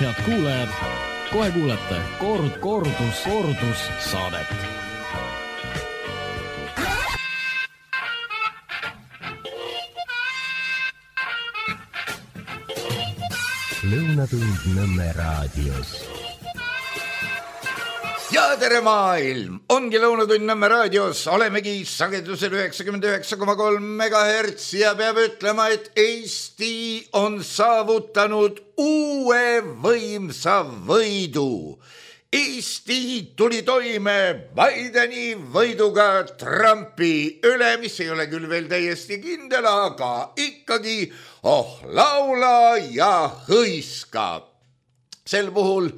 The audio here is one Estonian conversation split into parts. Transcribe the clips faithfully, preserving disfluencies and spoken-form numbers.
Head kuulajad, kohe kuulete kord, kordus, kordus saadet. Lõunatund Nõmme raadios. Ja tere maailm! Ongi Lõunatund Nõmme raadios. Olemegi sagedusel üheksakümmend üheksa koma kolm megahertsi ja peab ütlema, et Eesti on saavutanud uue võimsa võidu. Eesti tuli toime Bideni võiduga Trumpi üle, mis ei ole küll veel täiesti kindel, aga ikkagi oh laula ja hõiska. Sel puhul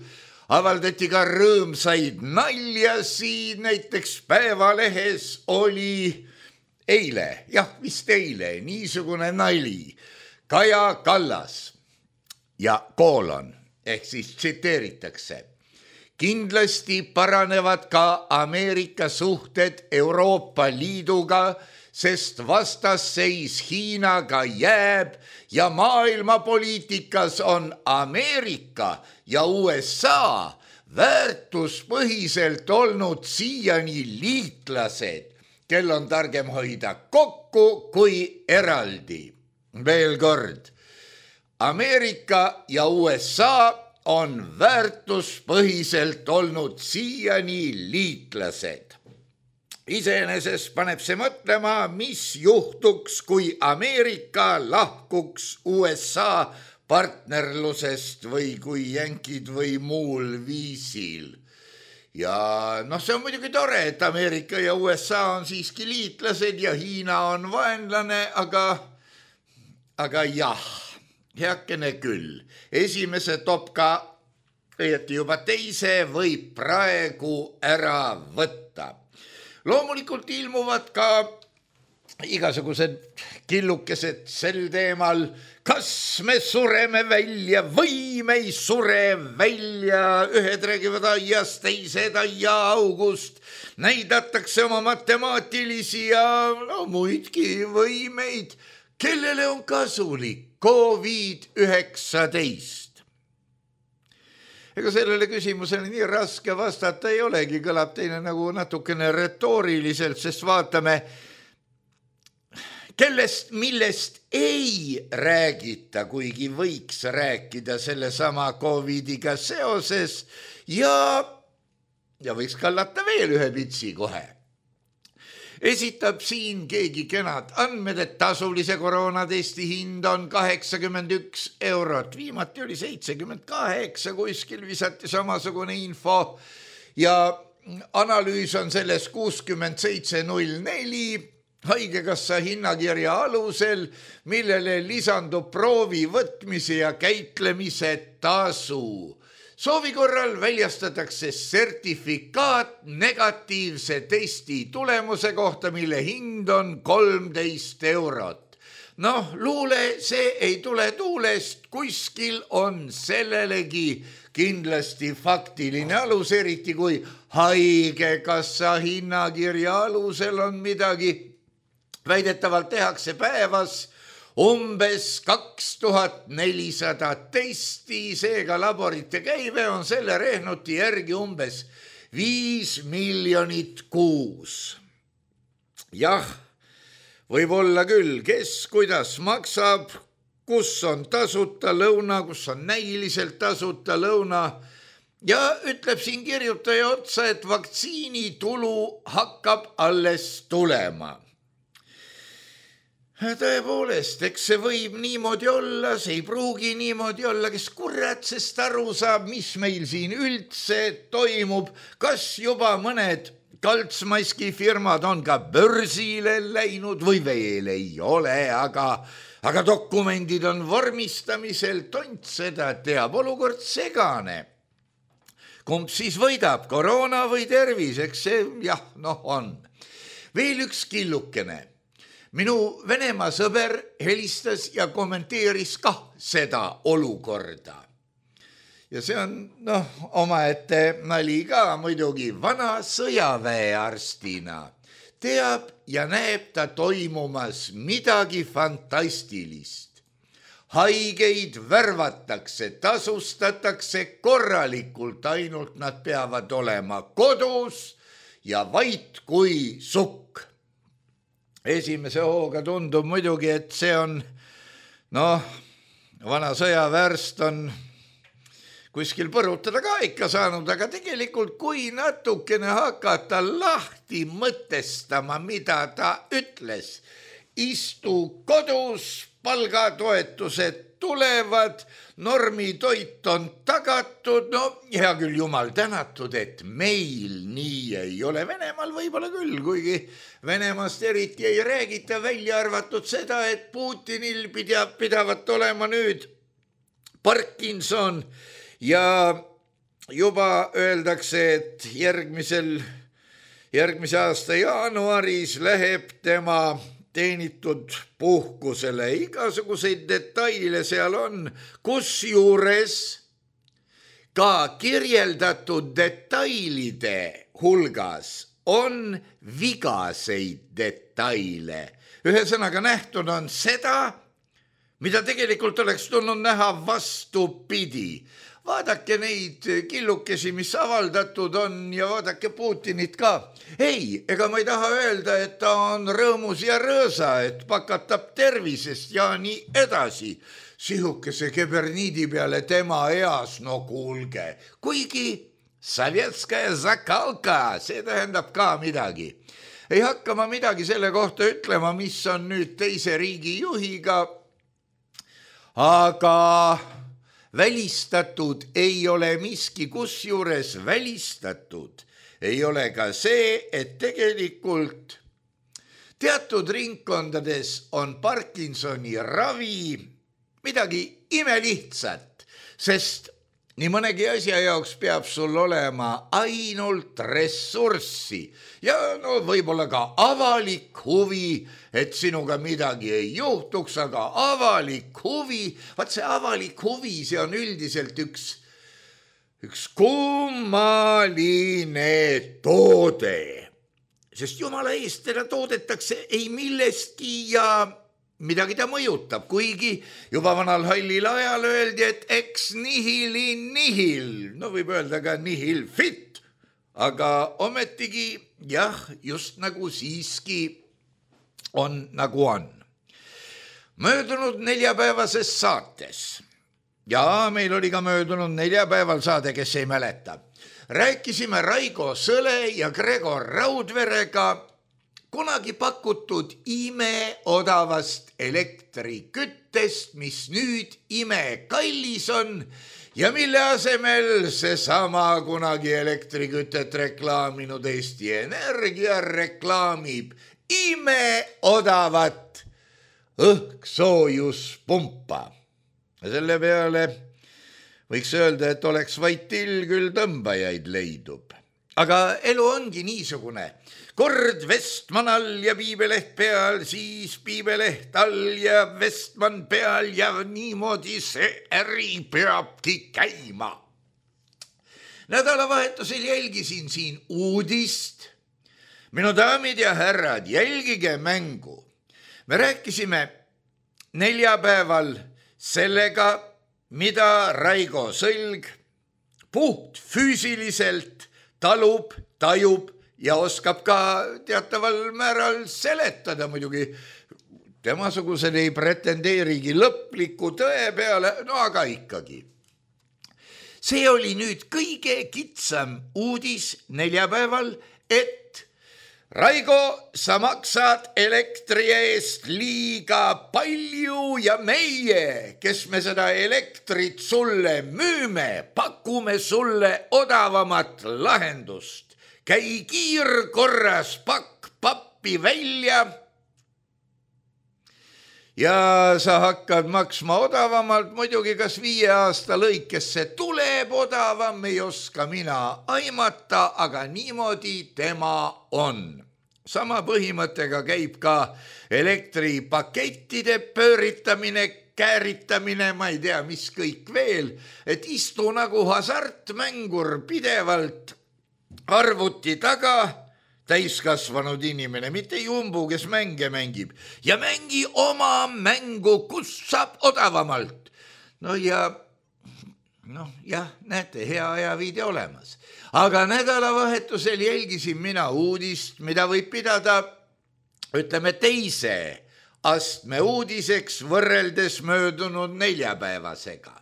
avaldati ka rõõmsaid naljasid, näiteks Päevalehes oli eile, jah, vist eile, niisugune nali. Kaja Kallas ja koolon, ehk siis tsiteeritakse. Kindlasti paranevad ka Ameerika suhted Euroopa Liiduga, sest vastasseis Hiinaga jääb ja maailmapoliitikas on Ameerika ja U S A väärtuspõhiselt olnud siiani liitlased, kel on targem hoida kokku kui eraldi. Veel kord, Ameerika ja U S A on väärtuspõhiselt olnud siiani liitlased. Iseenesest paneb see mõtlema, mis juhtuks, kui Ameerika lahkuks U S A partnerlusest või kui jänkid või muul viisil. Ja noh, see on muidugi tore, et Ameerika ja U S A on siiski liitlased ja Hiina on vaenlane, aga, aga jah, heakene küll. Esimese topka, õieti juba teise, võib praegu ära võtta. Loomulikult ilmuvad ka igasugused killukesed sel teemal, kas me sureme välja või me ei sure välja. Ühed räägivad aiast, teised aia august. Näidatakse oma matemaatilisi ja no, muidki võimeid. Kellele on kasulik Covid üheksateist? Ega sellele küsimusele nii raske vastata ei olegi, kõlab teine nagu natukene retooriliselt, sest vaatame, kellest, millest ei räägita, kuigi võiks rääkida selle sama Covidiga seoses ja, ja võiks kallata veel ühe pitsi kohe. Esitab siin keegi kenad andmed, et tasulise koroonatesti hind on kaheksakümmend üks eurot. Viimati oli seitsekümmend kaheksa, kuskil visati samasugune info ja analüüs on selles kuuskümmend seitse null neli haigekassa hinnakirja alusel, millele lisandub proovi võtmise ja käitlemise tasu. Soovi korral väljastatakse sertifikaat negatiivse testi tulemuse kohta, mille hind on kolmteist eurot. Noh, luule, see ei tule tuulest, kuskil on sellelegi kindlasti faktiline alus, eriti kui haigekassa hinnakirja alusel on midagi. Väidetavalt tehakse päevas umbes kaks tuhat nelisada testi, seega laborite käive on selle rehnuti järgi umbes viis miljonit kuus. Jah, võib olla küll, kes kuidas maksab, kus on tasuta lõuna, kus on näiliselt tasuta lõuna ja ütleb siin kirjutaja otsa, et vaktsiini tulu hakkab alles tulema. Tõepoolest, eks see võib niimoodi olla, see ei pruugi niimoodi olla, kes kuratsest aru saab, mis meil siin üldse toimub, kas juba mõned kaltsmaski firmad on ka börsile läinud või veel ei ole, aga, aga dokumendid on vormistamisel, tont seda teab, olukord segane. Kumb siis võidab, koroona või tervis, eks see jah, noh on. Veel üks killukene. Minu Venemaa sõber helistas ja kommenteeris ka seda olukorda. Ja see on, noh, omaette nali ka muidugi vana sõjaväearstina. Teab ja näeb ta toimumas midagi fantastilist. haigeid värvatakse, tasustatakse korralikult, ainult nad peavad olema kodus ja vait kui sukk. Esimese hooga tundub muidugi, et see on, noh, vana sõjavärst on kuskil põrutada ka ikka saanud, aga tegelikult kui natukene hakata lahti mõtestama, mida ta ütles, istu kodus, palgatoetused tulevad, normitoit on tagatud, no hea küll, jumal tänatud, et meil nii ei ole. Venemaal võib-olla küll, kuigi Venemaast eriti ei räägita, välja arvatud seda, et Putinil pidab, pidavat olema nüüd Parkinson ja juba öeldakse, et järgmisel, järgmise aasta jaanuaris läheb tema teenitud puhkusele. Igasuguseid detaile seal on, kusjuures ka kirjeldatud detailide hulgas on vigaseid detaile. Ühesõnaga nähtud on seda, mida tegelikult oleks tulnud näha vastupidi. Vaadake neid killukesi, mis avaldatud on ja vaadake Putinit ka. Ei, ega ma ei taha öelda, et ta on rõõmus ja rõõsa, et pakatab tervisest ja nii edasi. Sihukese keberniidi peale tema eas, no kuulge. Kuigi Sovetskaja zakalka, see tähendab ka midagi. Ei hakka ma midagi selle kohta ütlema, mis on nüüd teise riigi juhiga, aga välistatud ei ole miski, kusjuures välistatud ei ole ka see, et tegelikult teatud ringkondades on Parkinsoni ravi midagi imelihtsat, sest nii mõnegi asja jaoks peab sul olema ainult ressurssi ja no võib-olla ka avalik huvi, et sinuga midagi ei juhtuks, aga avalik huvi, vaat see avalik huvi, see on üldiselt üks, üks kummaline toode, sest jumala eest teda toodetakse ei millestki ja midagi ta mõjutab, kuigi juba vanal hallil ajal öeldi, et ex nihili nihil, no võib öelda ka nihil fit, aga ometigi jah, just nagu siiski on nagu on. Möödunud neljapäevases saates, ja meil oli ka möödunud neljapäeval saade, kes ei mäleta, rääkisime Raigo Sõle ja Gregor Raudverega kunagi pakutud imeodavast elektriküttest, mis nüüd imekallis on ja mille asemel seesama kunagi elektrikütet reklaaminud Eesti Energia reklaamib imeodavat õhksoojuspumpa. Ja selle peale võiks öelda, et oleks vaid till, küll tõmbajaid leidub. Aga elu ongi niisugune. Kord Vestman all ja Piibeleht peal, siis Piibeleht all ja Vestman peal ja niimoodi see äri peabki käima. Nädalavahetusel jälgisin siin uudist. Minu daamid ja härrad, jälgige mängu. Me rääkisime neljapäeval sellega, mida Raigo Sõlg puht füüsiliselt talub, tajub ja oskab ka teataval määral seletada muidugi. Temasugused ei pretendeerigi lõpliku tõe peale, no aga ikkagi. See oli nüüd kõige kitsam uudis neljapäeval, et Raigo, sa maksad elektri eest liiga palju ja meie, kes me seda elektrit sulle müüme, pakume sulle odavamat lahendust. Käi kiirkorras, pakk pappi välja ja sa hakkad maksma odavamalt, muidugi kas viie aasta lõikes see tuleb odavam, ei oska mina aimata, aga niimoodi tema on. Sama põhimõttega käib ka elektripakettide pööritamine, kääritamine, ma ei tea, mis kõik veel, et istu nagu hasartmängur pidevalt arvuti taga, täiskasvanud inimene, mitte jumbu, kes mänge mängib ja mängi oma mängu, kus saab odavamalt. No ja noh, jah, näete, hea ajaviide olemas. Aga nädalavahetusel jälgisin mina uudist, mida võib pidada, ütleme, teise astme uudiseks võrreldes möödunud neljapäevasega.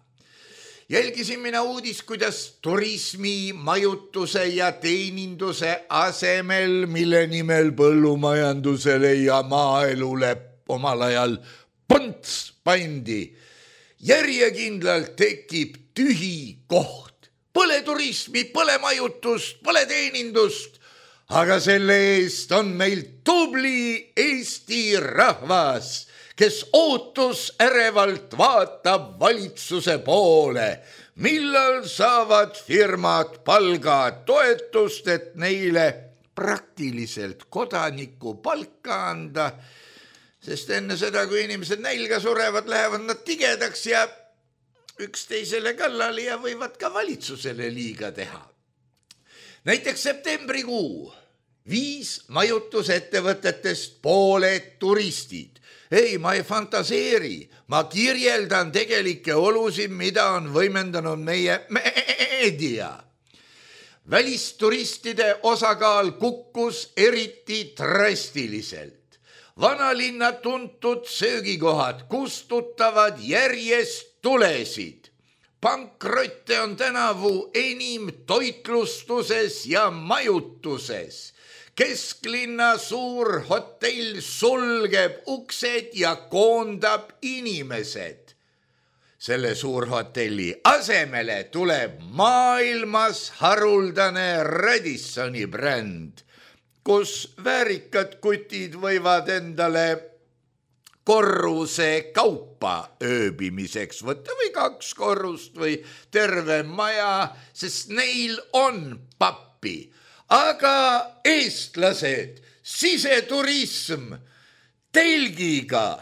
Jälgisin mina uudis, kuidas turismi, majutuse ja teeninduse asemel, mille nimel põllumajandusele ja maaelule omal ajal ponts pandi, järjekindlalt tekib tühi koht. Pole turismi, pole majutust, pole teenindust, aga selle eest on meil tubli Eesti rahvas, kes ootus ärevalt vaatab valitsuse poole, millal saavad firmad palgad toetust, et neile praktiliselt kodaniku palka anda, sest enne seda, kui inimesed nälga surevad, lähevad nad tigedaks ja üksteisele kallale ja võivad ka valitsusele liiga teha. Näiteks septembrikuu viis majutusettevõtetest pooled turistid. Ei, ma ei fantaseeri, ma kirjeldan tegelikke olusid, mida on võimendanud meie meedia. Välisturistide osakaal kukkus eriti drastiliselt. Vanalinna tuntud söögikohad kustutavad järjest tulesid. Pankrotte on tänavu enim toitlustuses ja majutuses. Kesklinna suur hotell sulgeb uksed ja koondab inimesed. Selle suurhotelli asemele tuleb maailmas haruldane Radissoni bränd, kus väärikad kutid võivad endale korruse kaupa ööbimiseks võtta või kaks korrust või terve maja, sest neil on pappi. Aga eestlased, siseturism, telgiga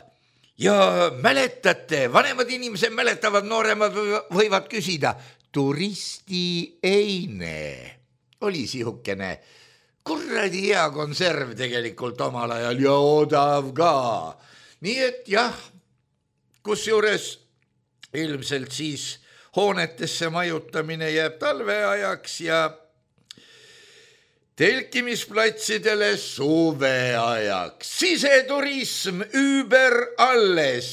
ja mäletate, vanemad inimesed mäletavad, nooremad võivad küsida, turisti eine oli sihukene kurradi hea konserv tegelikult omal ajal ja odav ka. Nii et jah, kusjuures ilmselt siis hoonetesse majutamine jääb talveajaks ja telkimisplatsidele suveajaks. Siseturism üüber alles,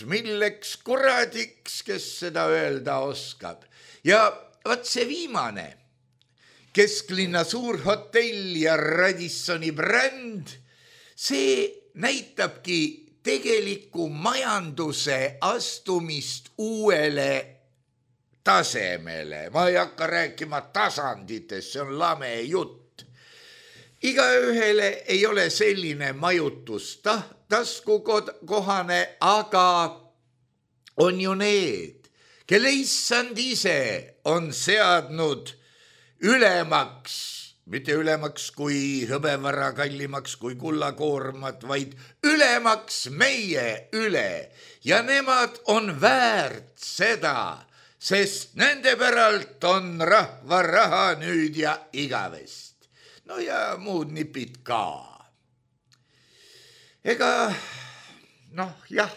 milleks kuradiks, kes seda öelda oskab. Ja vaat see viimane, kesklinna suur hotell ja Radissoni bränd, see näitabki tegeliku majanduse astumist uuele tasemele. Ma ei hakka rääkima tasanditest, see on lame jutt. Igaühele ei ole selline majutus taskukohane, aga on ju need, kelle issand ise on seadnud ülemaks, mitte ülemaks kui hõbevara, kallimaks kui kullakoormat, vaid ülemaks meie üle. Ja nemad on väärt seda, sest nende päralt on rahva raha nüüd ja igavest. No ja muud nipid ka. Ega, noh jah,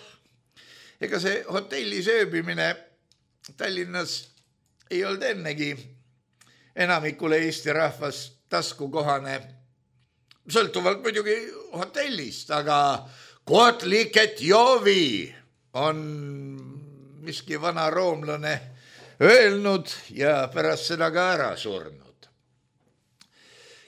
ega see hotelli sööbimine Tallinnas ei olnud ennegi enamikule Eesti rahvas taskukohane, sõltuvalt muidugi hotellist, aga kotliket jovi on miski vana roomlane öelnud ja pärast seda ka ära surnud.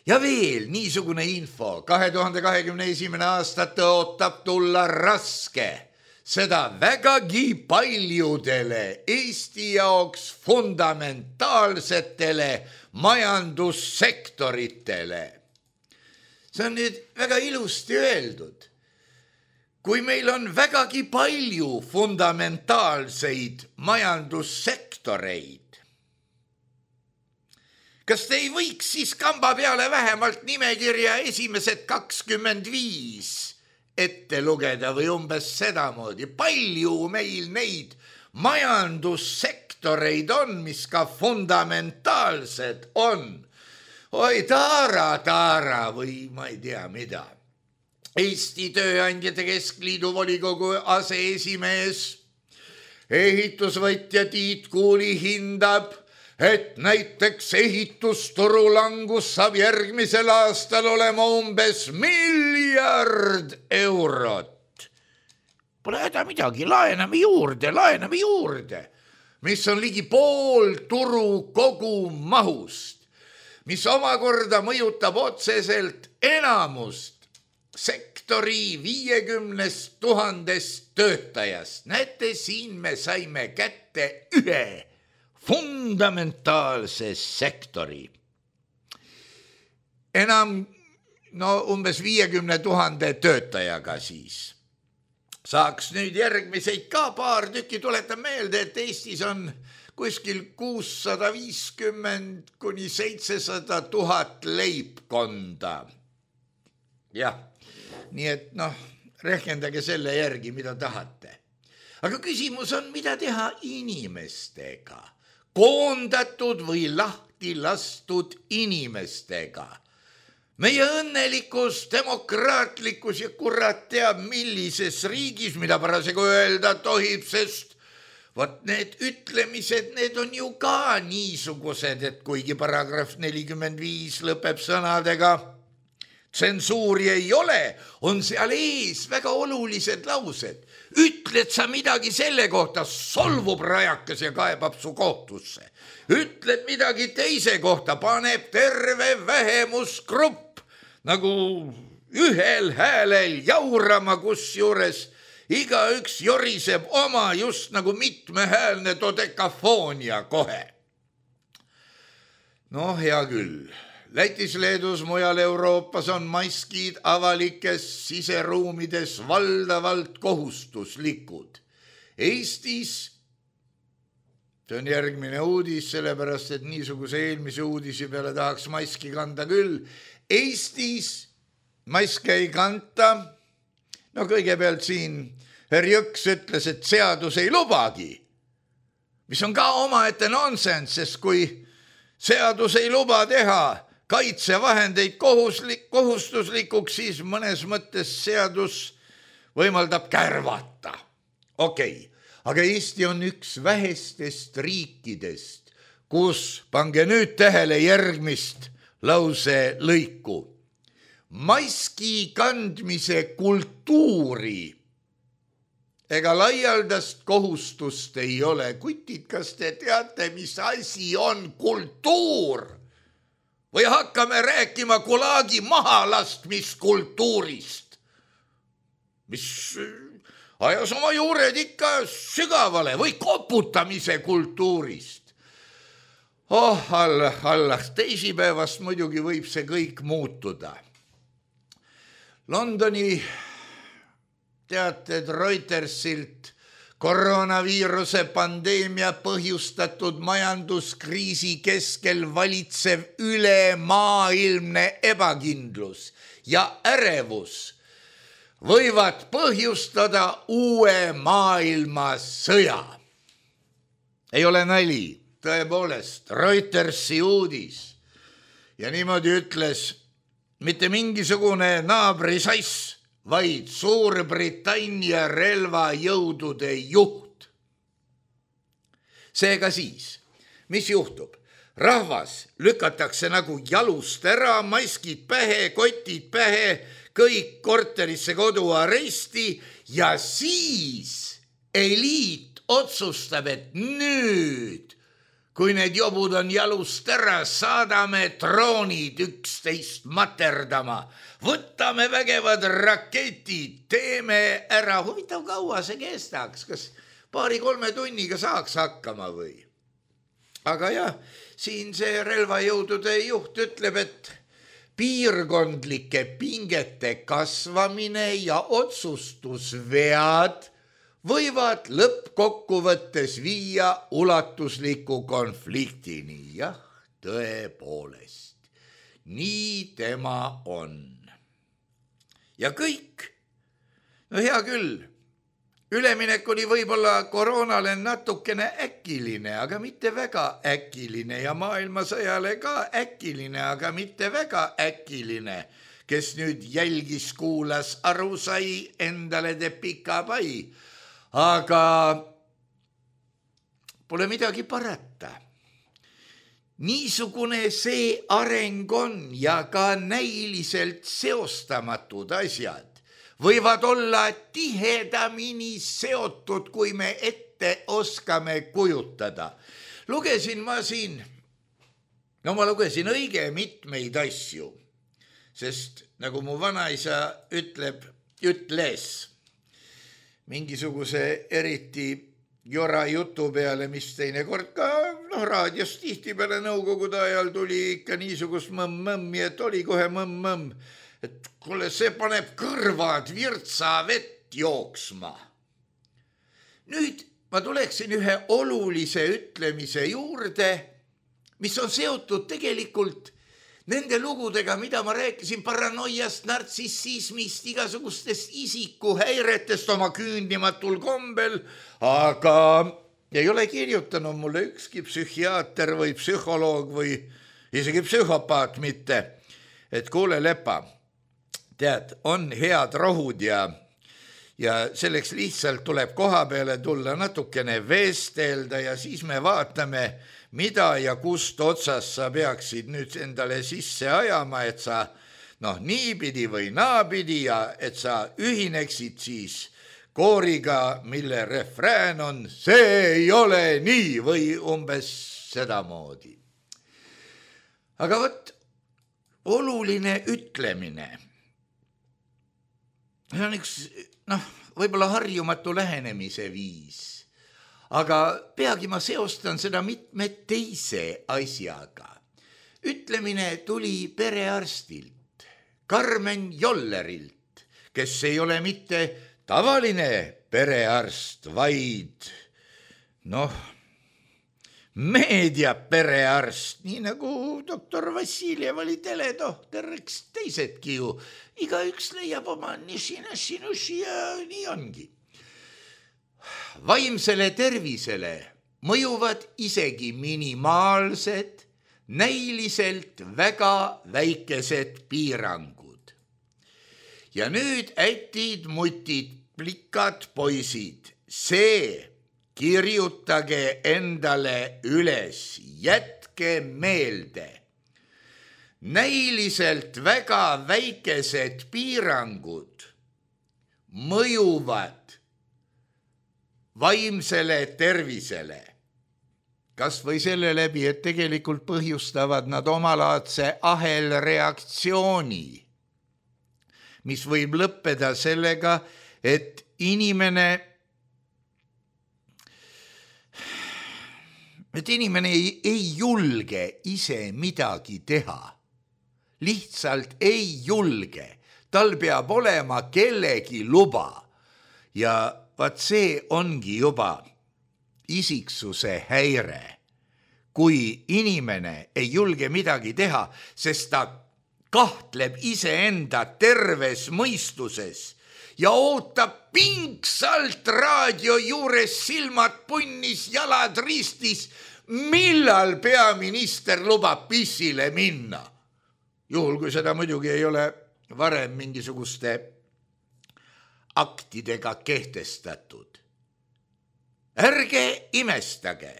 Ja veel niisugune info, kahe tuhande kahekümne esimene aasta tõotab tulla raske, seda vägagi paljudele Eesti jaoks fundamentaalsetele majandussektoritele. See on nüüd väga ilusti öeldud. Kui meil on vägagi palju fundamentaalseid majandussektoreid, kas te ei võiks siis kamba peale vähemalt nimekirja esimesed kakskümmend viis ette lugeda või umbes sedamoodi? Palju meil neid majandussektoreid on, mis ka fundamentaalsed on? oi taara, taara või ma ei tea mida. Eesti Tööandjate Keskliidu volikogu aseesimees, ehitusvõtja Tiit Kuuli hindab, et näiteks ehitusturu langus saab järgmisel aastal olema umbes miljard eurot. Pole häda midagi, laename juurde, laename juurde, mis on ligi pool turu kogumahust, mis omakorda mõjutab otseselt enamust sektori viiekümnest tuhandest töötajast. Näete, siin me saime kätte ühe fundamentaalse sektori. Enam no umbes viiekümne tuhande töötajaga siis. Saaks nüüd järgmiseid ka paar tükki, tuletan meelde, et Eestis on kuskil kuussada viiskümmend kuni seitsesada tuhat leibkonda. Jah, nii et noh, rehkendage selle järgi, mida tahate. Aga küsimus on, mida teha inimestega, koondatud või lahti lastud inimestega. Meie õnnelikus, demokraatlikus ja kurat teab millises riigis, mida parasjagu öelda tohib, sest vot need ütlemised, need on ju ka niisugused, et kuigi paragrahv nelikümmend viis lõpeb sõnadega tsensuuri ei ole, on seal ees väga olulised laused. Ütled sa midagi selle kohta, solvub rajakas ja kaebab su kohtusse. Ütled midagi teise kohta, paneb terve vähemusgrupp nagu ühel häälel jaurama, kusjuures igaüks joriseb oma just nagu mitmehäälne dodekafoonia kohe. No hea küll. Lätis, Leedus, mujal Euroopas on maskid avalikes siseruumides valdavalt kohustuslikud. Eestis, see on järgmine uudis, sellepärast et niisuguse eelmise uudisi peale tahaks maski kanda küll. Eestis maske ei kanta. No kõigepealt siin Herr Jõks ütles, et seadus ei lubagi, mis on ka omaette nonsense, sest kui seadus ei luba teha kaitsevahendeid kohuslik, kohustuslikuks, siis mõnes mõttes seadus võimaldab kärvata. Okei, aga Eesti on üks vähestest riikidest, kus, pange nüüd tähele järgmist lause lõiku, maski kandmise kultuuri ega laialdast kohustust ei ole. Kutid, kas te teate, mis asi on kultuur? Või hakkame rääkima Gulagi mahalastmiskultuurist, mis ajas oma juured ikka sügavale, või koputamise kultuurist. Oh, Allah, Allah, teisipäevast muidugi võib see kõik muutuda. Londoni teated Reutersilt koroonaviiruse pandeemia põhjustatud majanduskriisi keskel valitsev ülemaailmne ebakindlus ja ärevus võivad põhjustada uue maailmasõja. Ei ole nali, tõepoolest, Reutersi uudis. Ja niimoodi ütles mitte mingisugune naabrisass, vaid Suurbritannia relvajõudude juht. Seega siis, mis juhtub? Rahvas lükatakse nagu jalust ära, maskid pähe, kotid pähe, kõik korterisse koduaresti ja siis eliit otsustab, et nüüd, kui need jobud on jalust ära, saadame droonid üksteist materdama, võtame vägevad raketid, teeme ära. Huvitav, kaua see kestaks, kas paari-kolme tunniga saaks hakkama või? Aga jah, siin see relvajõudude juht ütleb, et piirkondlike pingete kasvamine ja otsustusvead võivad lõppkokkuvõttes viia ulatusliku konfliktini. Jah, tõepoolest, nii tema on. Ja kõik, no hea küll, üleminek oli võib-olla koroonale natukene äkiline, aga mitte väga äkiline ja maailmasõjale ka äkiline, aga mitte väga äkiline, kes nüüd jälgis, kuulas, aru sai, endale teeb pika pai. Aga pole midagi parata. Niisugune see areng on ja ka näiliselt seostamatud asjad võivad olla tihedamini seotud, kui me ette oskame kujutada. Lugesin ma siin, no ma lugesin õige mitmeid asju, sest nagu mu vanaisa ütleb, ütles mingisuguse eriti jora jutu peale, mis teine kord ka no, raadios tihti peale nõukogude ajal tuli ikka niisugust mõmm-mõmmi, et oli kohe mõmm-mõmm, et kuule, see paneb kõrvad virtsa vett jooksma. Nüüd ma tuleksin ühe olulise ütlemise juurde, mis on seotud tegelikult nende lugudega, mida ma rääkisin paranoiast, nartsissismist, igasugustest isikuhäiretest oma küündimatul kombel, aga ei ole kirjutanud mulle ükski psühhiaater või psühholoog või isegi psühhopaat mitte, et kuule, Lepa, tead, on head rohud ja, ja selleks lihtsalt tuleb koha peale tulla natukene vestelda ja siis me vaatame, mida ja kust otsast sa peaksid nüüd endale sisse ajama, et sa noh, niipidi või naapidi ja et sa ühineksid siis kooriga, mille refrään on see ei ole nii või umbes sedamoodi. Aga võt, oluline ütlemine. See on üks, noh, võib-olla harjumatu lähenemise viis, aga peagi ma seostan seda mitme teise asjaga. Ütlemine tuli perearstilt, Karmen Jollerilt, kes ei ole mitte tavaline perearst, vaid noh, meediaperearst, nii nagu doktor Vassiljev oli teletohter, eks teisedki ju. Igaüks leiab oma niši-naši-nuši ja nii ongi. Vaimsele tervisele mõjuvad isegi minimaalsed, näiliselt väga väikesed piirangud. Ja nüüd ätid, mutid, plikad, poisid, see kirjutage endale üles, jätke meelde. Näiliselt väga väikesed piirangud mõjuvad vaimsele tervisele. Kas või selle läbi, et tegelikult põhjustavad nad omalaadse ahelreaktsiooni, mis võib lõppeda sellega, et inimene et inimene ei, ei julge ise midagi teha. Lihtsalt ei julge. Tal peab olema kellegi luba. Ja vaat see ongi juba isiksuse häire. Kui inimene ei julge midagi teha, sest ta kahtleb iseenda terves mõistuses ja ootab pingsalt raadio juures silmad punnis, jalad ristis, millal peaminister lubab pissile minna. Juhul, kui seda muidugi ei ole varem mingisuguste aktidega kehtestatud. Ärge imestage,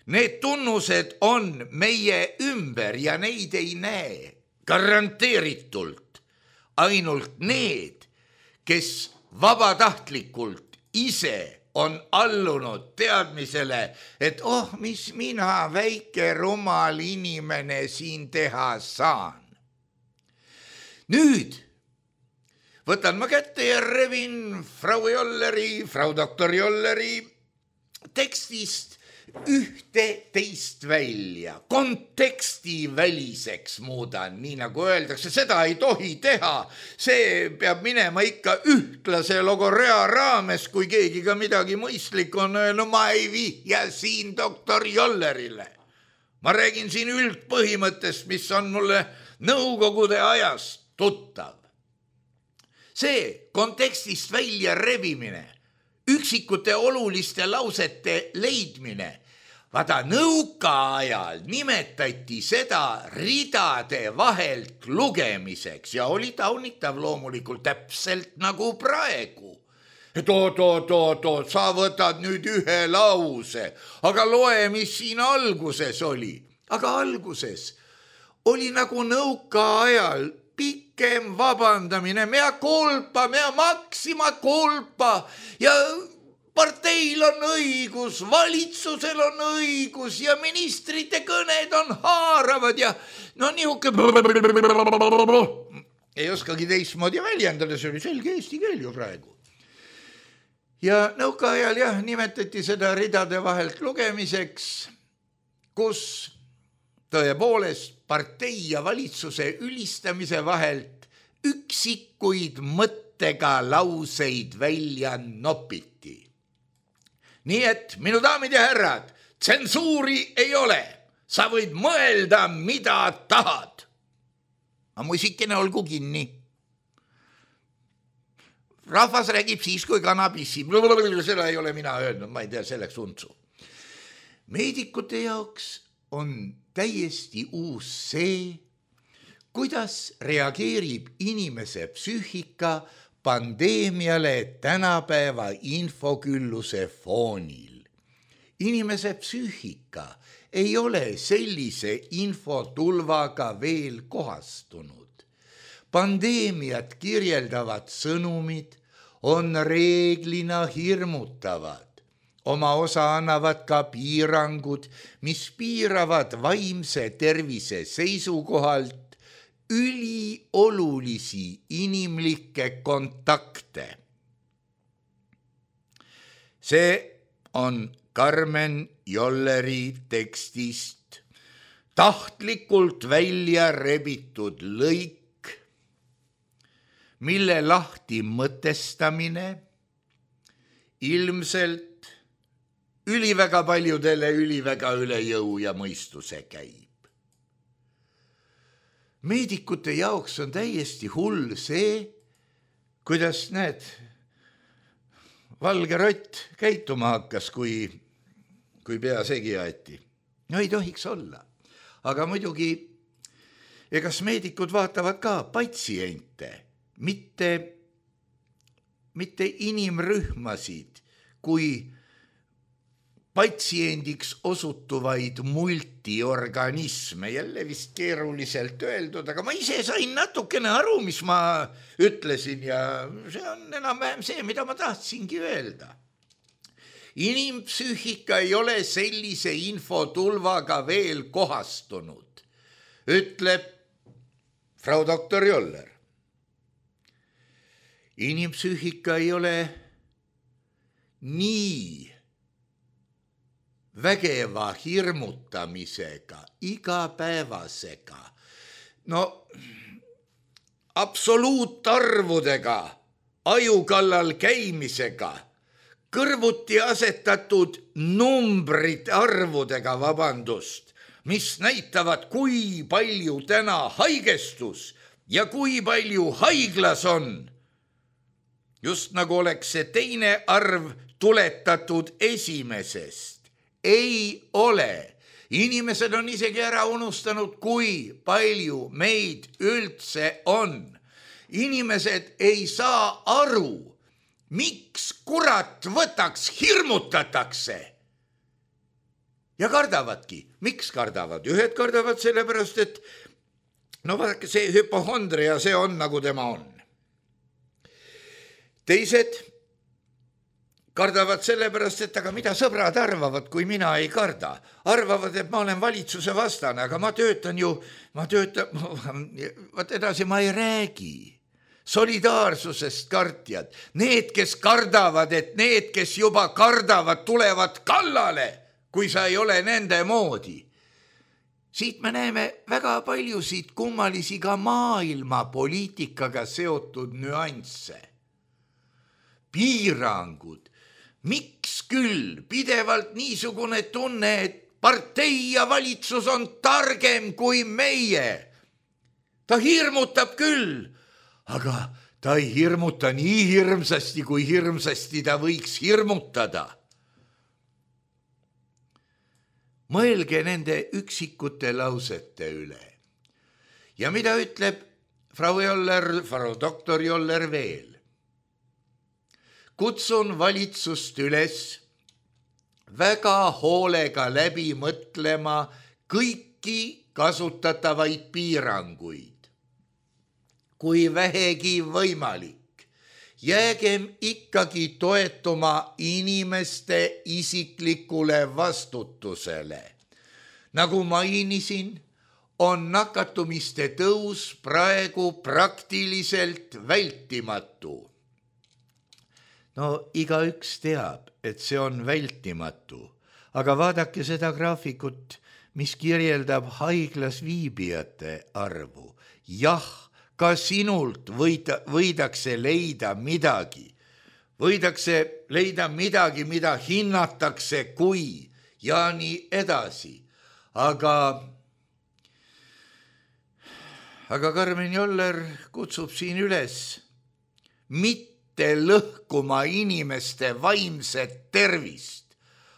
need tunnused on meie ümber ja neid ei näe garanteeritult ainult need, kes vabatahtlikult ise on allunud teadmisele, et oh, mis mina, väike rumal inimene siin teha saan. Nüüd võtan ma kätte ja revin Frau Jolleri, Frau doktor Jolleri tekstist ühte teist välja, konteksti väliseks muudan, nii nagu öeldakse, seda ei tohi teha, see peab minema ikka ühtlase logorea raames, kui keegi ka midagi mõistlik on, no ma ei vihja siin doktor Jollerile. Ma räägin siin üldpõhimõttest, mis on mulle nõukogude ajast tuttav. See kontekstist välja rebimine üksikute oluliste lausete leidmine. Vaata, nõukaajal nimetati seda ridade vahelt lugemiseks ja oli taunitav loomulikult täpselt nagu praegu. Et oot, oot, oot, oot, sa võtad nüüd ühe lause, aga loe, mis siin alguses oli. Aga alguses oli nagu nõukaajal pikem vabandamine, mea kolpa, mea maksima kolpa ja parteil on õigus, valitsusel on õigus ja ministrite kõned on haaravad ja no nihuke ei oskagi teistmoodi väljendada, see oli selge eesti keel ju praegu. Ja nõukaajal jah, nimetati seda ridade vahelt lugemiseks, kus tõepoolest partei ja valitsuse ülistamise vahelt üksikuid mõttega lauseid välja nopiti. Nii et, minu daamid ja härrad, tsensuuri ei ole. Sa võid mõelda, mida tahad. Aga musikene olgu kinni. Rahvas räägib siis, kui kanabissi. Seda ei ole mina öelnud, ma ei tea selleks untsu. Meedikute jaoks on täiesti uus see, kuidas reageerib inimese psüühika pandeemiale tänapäeva infokülluse foonil. Inimese psüühika ei ole sellise infotulvaga veel kohastunud. Pandeemiat kirjeldavad sõnumid on reeglina hirmutavad. Oma osa annavad ka piirangud, mis piiravad vaimse tervise seisukohalt üliolulisi inimlikke kontakte. See on Karmen Jolleri tekstist tahtlikult välja rebitud lõik, mille lahti mõtestamine ilmselt üliväga paljudele üliväga üle jõu ja mõistuse käib. Meedikute jaoks on täiesti hull see, kuidas näed, valge rott käituma hakkas, kui, kui pea segi aeti. No ei tohiks olla. Aga muidugi, egas meedikud vaatavad ka patsiente, mitte, mitte inimrühmasid, kui patsiendiks osutuvaid multiorganisme, jälle vist keeruliselt öeldud, aga ma ise sain natukene aru, mis ma ütlesin ja see on enam-vähem see, mida ma tahtsingi öelda. Inimpsüühika ei ole sellise infotulvaga veel kohastunud, ütleb Frau doktor Joller. Inimpsüühika ei ole nii vägeva hirmutamisega, igapäevasega, no absoluutarvudega, ajukallal käimisega, kõrvuti asetatud numbrid arvudega, vabandust, mis näitavad, kui palju täna haigestus ja kui palju haiglas on. Just nagu oleks see teine arv tuletatud esimesest. Ei ole. Inimesed on isegi ära unustanud, kui palju meid üldse on. Inimesed ei saa aru, miks kurat võtaks hirmutatakse. Ja kardavadki. Miks kardavad? Ühed kardavad sellepärast, et no vaadake, see hüpohondria, see on nagu tema on. Teised kardavad sellepärast, et aga mida sõbrad arvavad, kui mina ei karda. Arvavad, et ma olen valitsuse vastane, aga ma töötan ju, ma töötan, vaat edasi ma ei räägi. Solidaarsusest kartjad. Need, kes kardavad, et need, kes juba kardavad, tulevad kallale, kui sa ei ole nende moodi. Siit me näeme väga paljusid kummalisi ka maailma poliitikaga seotud nüansse. Piirangud. Miks küll pidevalt niisugune tunne, et partei ja valitsus on targem kui meie? Ta hirmutab küll, aga ta ei hirmuta nii hirmsasti, kui hirmsasti ta võiks hirmutada. Mõelge nende üksikute lausete üle. Ja mida ütleb Frau Joller, Frau doktor Joller veel? Kutsun valitsust üles väga hoolega läbi mõtlema kõiki kasutatavaid piiranguid. Kui vähegi võimalik, jäägem ikkagi toetuma inimeste isiklikule vastutusele. Nagu mainisin, on nakatumiste tõus praegu praktiliselt vältimatu. No igaüks teab, et see on vältimatu, aga vaadake seda graafikut, mis kirjeldab haiglas viibijate arvu. Jah, ka sinult võida, võidakse leida midagi. Võidakse leida midagi, mida hinnatakse kui ja nii edasi. Aga, aga Karmen Joller kutsub siin üles mitte lõhkuma inimeste vaimset tervist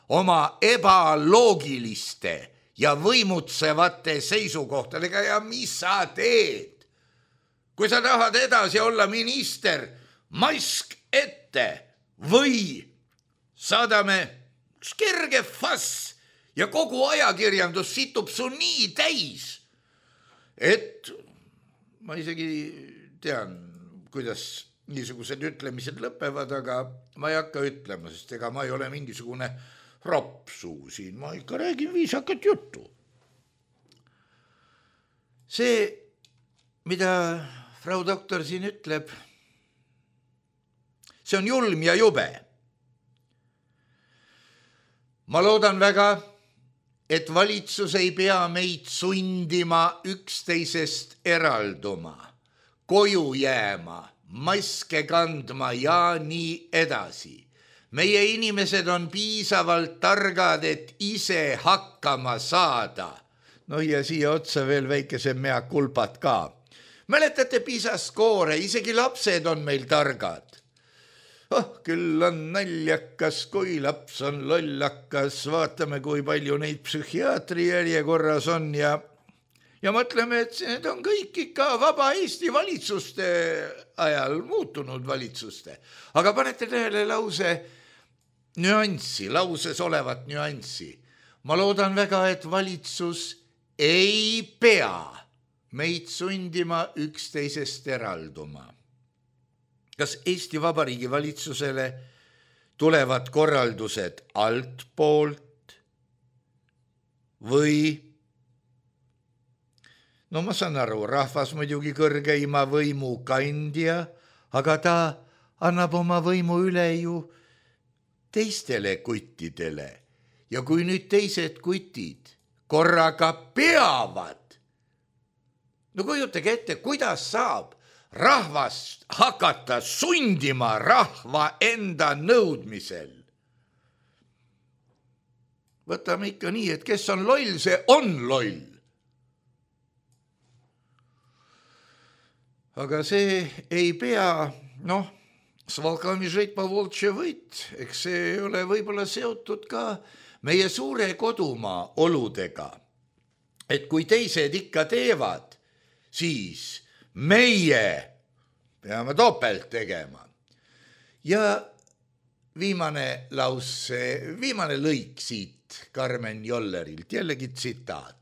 oma ebaloogiliste ja võimutsevate seisukohtadega. Ja mis sa teed? Kui sa tahad edasi olla minister, mask ette või saadame kerge fass ja kogu ajakirjandus situb su nii täis, et ma isegi tean, kuidas niisugused ütlemised lõpevad, aga ma ei hakka ütlema, sest ega ma ei ole mingisugune rapsuu siin, ma ikka räägin viisakat juttu. See, mida Frau doktor siin ütleb, see on julm ja jube. Ma loodan väga, et valitsus ei pea meid sundima üksteisest eralduma, koju jääma, maske kandma ja nii edasi. Meie inimesed on piisavalt targad, et ise hakkama saada. No ja siia otsa veel väikese mea kulpad ka. Mäletate pisaskoore, isegi lapsed on meil targad. Oh, küll on naljakas, kui laps on lollakas. Vaatame, kui palju neid psühhiaatri järjekorras on ja Ja mõtleme, et need on kõik ikka vaba Eesti valitsuste ajal muutunud valitsuste. Aga panete tähele lause nüanssi, lauses olevat nüanssi. Ma loodan väga, et valitsus ei pea meid sundima üksteisest eralduma. Kas Eesti Vabariigi valitsusele tulevad korraldused altpoolt või no ma saan aru, rahvas muidugi kõrgeima võimu kandja, aga ta annab oma võimu üle ju teistele kuttidele. Ja kui nüüd teised kutid korraga peavad, no kujutage ette, kuidas saab rahvast hakata sundima rahva enda nõudmisel. Võtame ikka nii, et kes on loll, see on loll. Aga see ei pea, noh, s volkami žeit po voltše võit, eks see ei ole võib-olla seotud ka meie suure kodumaa oludega. Et kui teised ikka teevad, siis meie peame topelt tegema. Ja viimane lause, viimane lõik siit Karmen Jollerilt, jällegi tsitaat.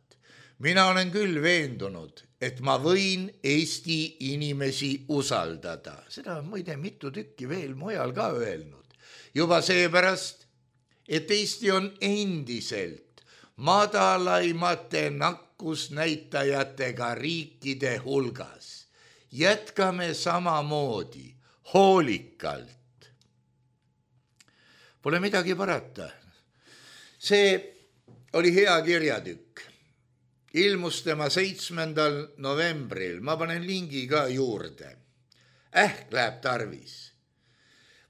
Mina olen küll veendunud, et ma võin Eesti inimesi usaldada. Seda on muide mitu tükki veel mujal ka öelnud. Juba seepärast, et Eesti on endiselt madalaimate nakkusnäitajatega riikide hulgas. Jätkame samamoodi, hoolikalt. Pole midagi parata. See oli hea kirjatükk. Ilmus tema seitsmendal novembril, ma panen lingi ka juurde. Ähk läheb tarvis.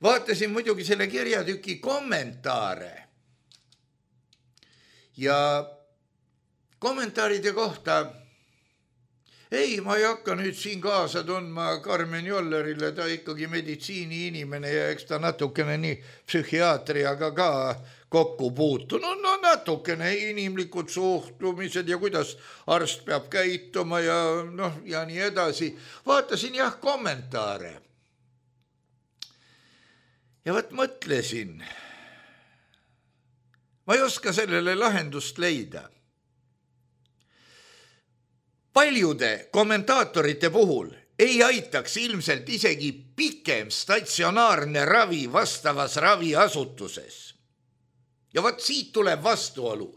Vaatasin muidugi selle kirjatüki kommentaare. Ja kommentaaride kohta ei, ma ei hakka nüüd siin kaasa tundma Karmen Jollerile, ta ikkagi meditsiini inimene ja eks ta natukene nii psühhiaatriaga ka kokku puutu. No, no natukene inimlikud suhtumised ja kuidas arst peab käituma ja, noh, ja nii edasi. Vaatasin jah kommentaare. Ja võt mõtlesin, ma ei oska sellele lahendust leida. Paljude kommentaatorite puhul ei aitaks ilmselt isegi pikem statsionaarne ravi vastavas raviasutuses. Ja võt siit tuleb vastuolu.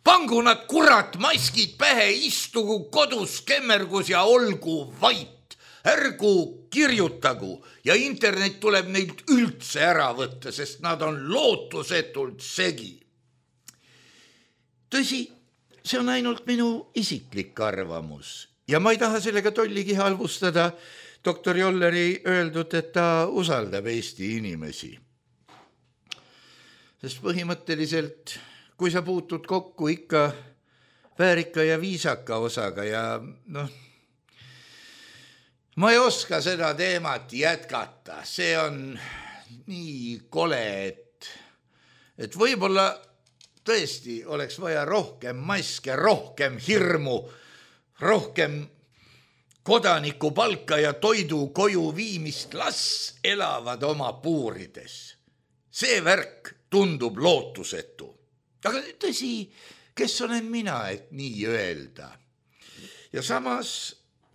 Pangu nad kurat maskid pähe, istugu kodus kemmergus ja olgu vait. Ärgu kirjutagu ja internet tuleb neilt üldse ära võtta, sest nad on lootusetult segi. Tõsi, see on ainult minu isiklik arvamus ja ma ei taha sellega tolligi halvustada doktor Jolleri öeldud, et ta usaldab Eesti inimesi. Sest põhimõtteliselt, kui sa puutud kokku ikka väärika ja viisaka osaga ja noh, ma ei oska seda teemat jätkata, see on nii kole, et, et võib-olla tõesti oleks vaja rohkem maske, rohkem hirmu, rohkem kodaniku palka ja toidu koju viimist, las elavad oma puurides. See värk tundub lootusetu. Aga tõsi, kes olen mina, et nii öelda? Ja samas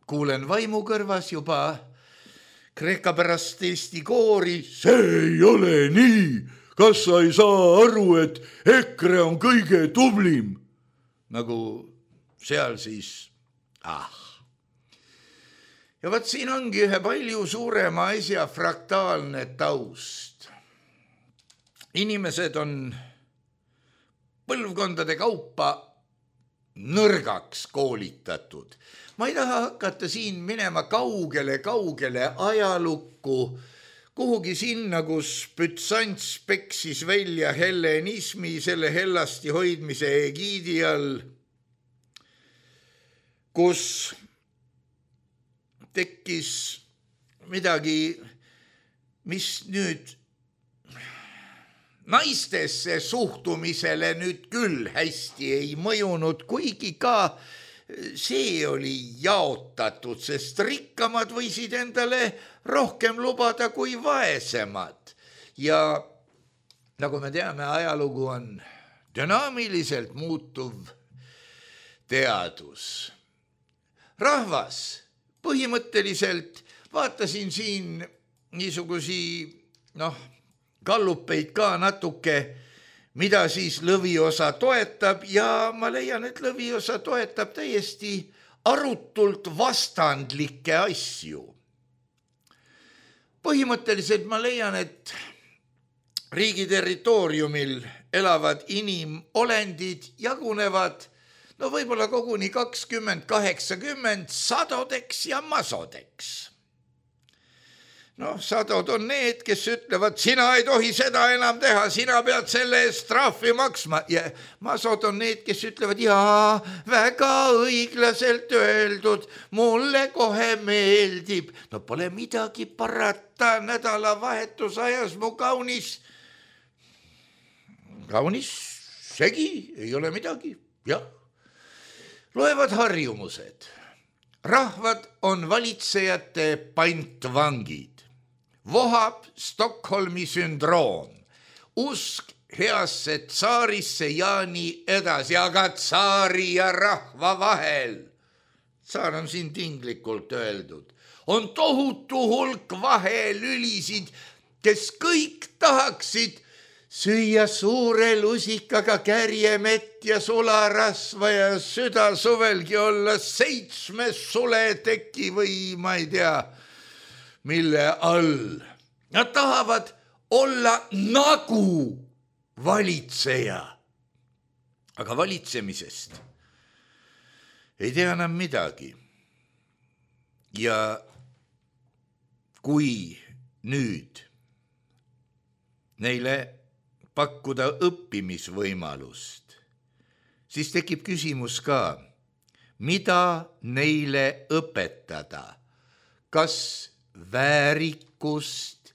kuulen vaimu kõrvas juba kreeka pärast Eesti koori. See ei ole nii! Kas sa ei saa aru, et EKRE on kõige tublim? Nagu seal siis, ah. Ja võt siin ongi ühe palju suurema asja fraktaalne taust. Inimesed on põlvkondade kaupa nõrgaks koolitatud. Ma ei taha hakata siin minema kaugele, kaugele ajalukku, kuhugi sinna, kus Bütsants peksis välja hellenismi selle hellasti hoidmise egiidi all, kus tekkis midagi, mis nüüd naistesse suhtumisele nüüd küll hästi ei mõjunud, kuigi ka see oli jaotatud, sest rikkamad võisid endale rohkem lubada kui vaesemad. Ja nagu me teame, ajalugu on dünaamiliselt muutuv teadus. Rahvas põhimõtteliselt, vaatasin siin niisugusi, noh, kallupeid ka natuke, mida siis lõviosa toetab ja ma leian, et lõviosa toetab täiesti arutult vastandlikke asju. Põhimõtteliselt ma leian, et riigi territooriumil elavad inimolendid jagunevad no võib-olla koguni kakskümmend kaheksakümmend sadodeks ja masodeks. No, sadod on need, kes ütlevad, sina ei tohi seda enam teha, sina pead selle eest trahvi maksma. Ja masod on need, kes ütlevad, jaa, väga õiglaselt öeldud, mulle kohe meeldib. No pole midagi parata, nädalavahetusajas mu kaunis, kaunis segi, ei ole midagi, jah. Loevad harjumused. Rahvad on valitsejate pantvangid. Vohab Stockholmi sündroom. Usk heasse tsaarisse ja nii edasi, aga tsaari ja rahva vahel. Tsaar on siin tinglikult öeldud. On tohutu hulk vahelülisid, kes kõik tahaksid süüa suure lusikaga kärjemett ja sularasva ja süda suvelgi olla seitsme suleteki või ma ei tea, mille all. Nad tahavad olla nagu valitseja. Aga valitsemisest ei tea enam midagi. Ja kui nüüd neile pakkuda õppimisvõimalust, siis tekib küsimus ka, mida neile õpetada, kas väärikust,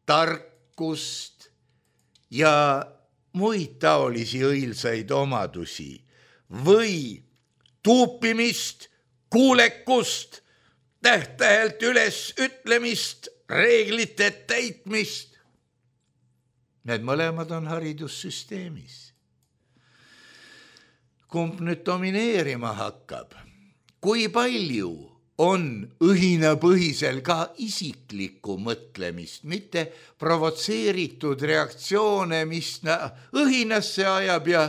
tarkust ja muid taolisi õilsaid omadusi või tuupimist, kuulekust, täht-tähelt üles ütlemist, reeglite täitmist. Need mõlemad on haridussüsteemis. Kumb nüüd domineerima hakkab? Kui palju on õhinapõhisel ka isiklikku mõtlemist, mitte provotseeritud reaktsioone, mis õhinasse ajab ja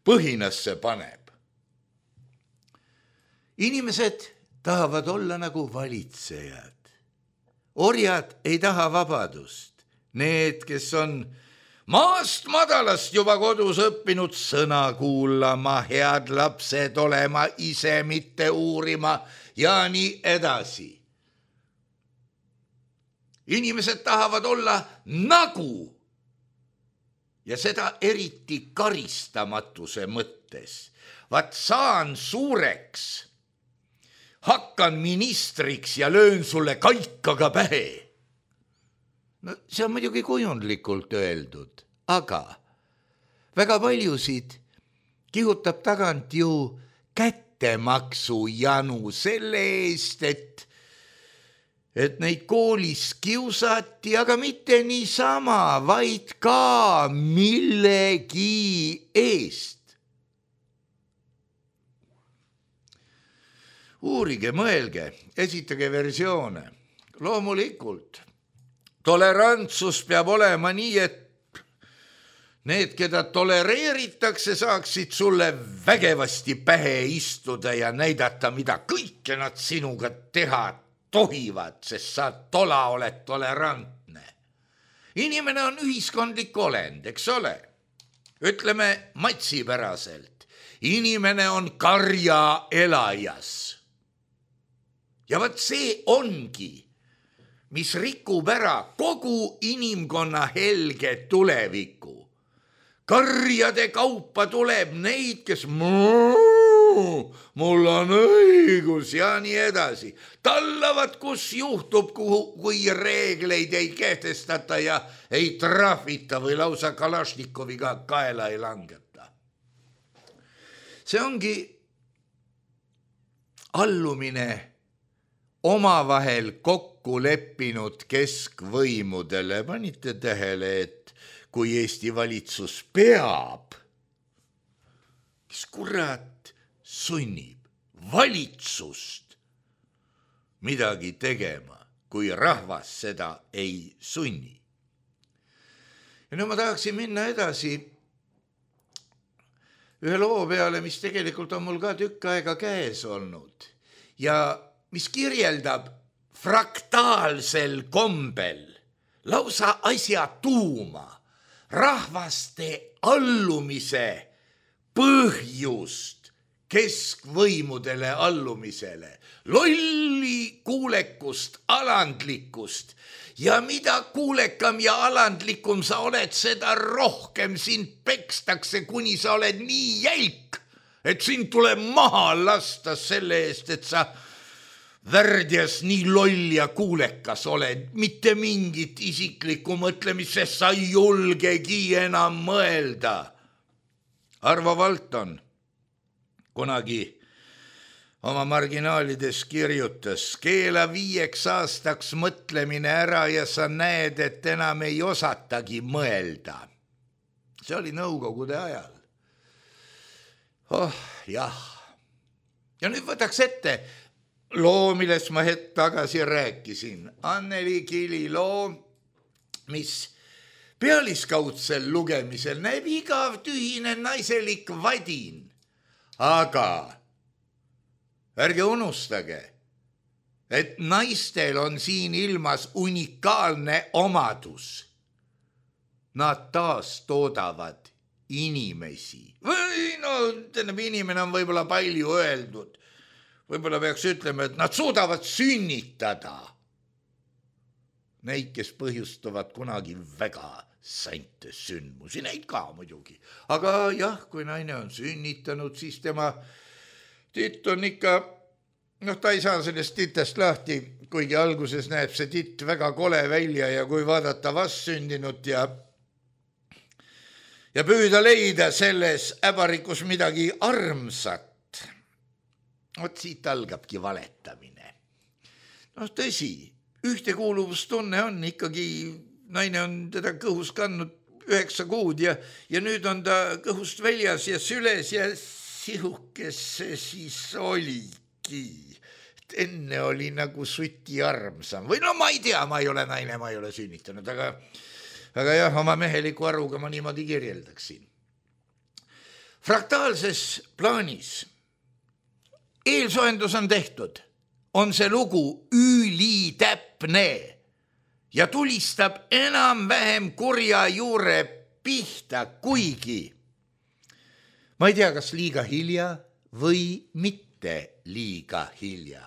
põhinasse paneb. Inimesed tahavad olla nagu valitsejad. Orjad ei taha vabadust. Need, kes on maast madalast juba kodus õppinud sõna kuulama, head lapsed olema, ise mitte uurima ja nii edasi. Inimesed tahavad olla nagu ja seda eriti karistamatuse mõttes. Vaat saan suureks, hakkan ministriks ja löön sulle kaikaga pähe. No, see on muidugi kujundlikult öeldud, aga väga paljusid kihutab tagant ju kättemaksu janu selle eest, et, et neid koolis kiusati, aga mitte niisama, vaid ka millegi eest. Uurige, mõelge, esitage versioone. Loomulikult. Tolerantsus peab olema nii, et need, keda tolereeritakse, saaksid sulle vägevasti pähe istuda ja näidata, mida kõike nad sinuga teha tohivad, sest sa tola oled tolerantne. Inimene on ühiskondlik olend, eks ole? Ütleme matsipäraselt. Inimene on karja elajas. Ja vaat see ongi, mis rikub ära kogu inimkonna helge tuleviku. Karjade kaupa tuleb neid, kes muu, mul on õigus ja nii edasi. Tallavad, kus juhtub, kui reegleid ei kehtestata ja ei trahvita või lausa Kalašnikoviga kaela ei langeta. See ongi allumine omavahel kokku leppinud keskvõimudele. Panite tähele, et kui Eesti valitsus peab, kes kurat sunnib valitsust midagi tegema, kui rahvas seda ei sunni. Ja nüüd ma tahaksin minna edasi ühe loo peale, mis tegelikult on mul ka tükk aega käes olnud ja mis kirjeldab fraktaalsel kombel lausa asja tuuma, rahvaste allumise põhjust keskvõimudele allumisele, lolli kuulekust, alandlikkust ja mida kuulekam ja alandlikum sa oled, seda rohkem sind pekstakse, kuni sa oled nii jälk, et sind tuleb maha lasta selle eest, et sa värdjas nii loll ja kuulekas oled, mitte mingit isiklikku mõtlemist, sest sa ei julgegi enam mõelda. Arvo Valton kunagi oma marginaalides kirjutas, keela viieks aastaks mõtlemine ära ja sa näed, et enam ei osatagi mõelda. See oli Nõukogude ajal. Oh, jah. Ja nüüd võtaks ette loo, millest ma hetk tagasi rääkisin. Anneli Kili loo, mis pealiskaudsel lugemisel näeb igav tühine naiselik vadin. Aga ärge unustage, et naistel on siin ilmas unikaalne omadus. Nad taas toodavad inimesi. Või no, tähendab, inimene on võib-olla palju öeldud. Võib-olla peaks ütlema, et nad suudavad sünnitada neid, kes põhjustavad kunagi väga sänte sündmusi, neid ka muidugi. Aga jah, kui naine on sünnitanud, siis tema titt on ikka, noh, ta ei saa sellest titest lahti, kuigi alguses näeb see titt väga kole välja ja kui vaadata vastsündinut ja, ja püüda leida selles äbarikus midagi armsat, vot siit algabki valetamine. noh, tõsi, ühtekuuluvustunne on ikkagi, naine on teda kõhus kandnud üheksa kuud ja, ja nüüd on ta kõhust väljas ja süles ja sihukes see siis oligi. Et enne oli nagu suti armsam või no ma ei tea, ma ei ole naine, ma ei ole sünnitanud, aga, aga jah, oma meheliku aruga ma niimoodi kirjeldaksin. Fraktaalses plaanis eelsoendus on tehtud, on see lugu ülitäpne ja tulistab enam-vähem kurja juure pihta, kuigi ma ei tea, kas liiga hilja või mitte liiga hilja.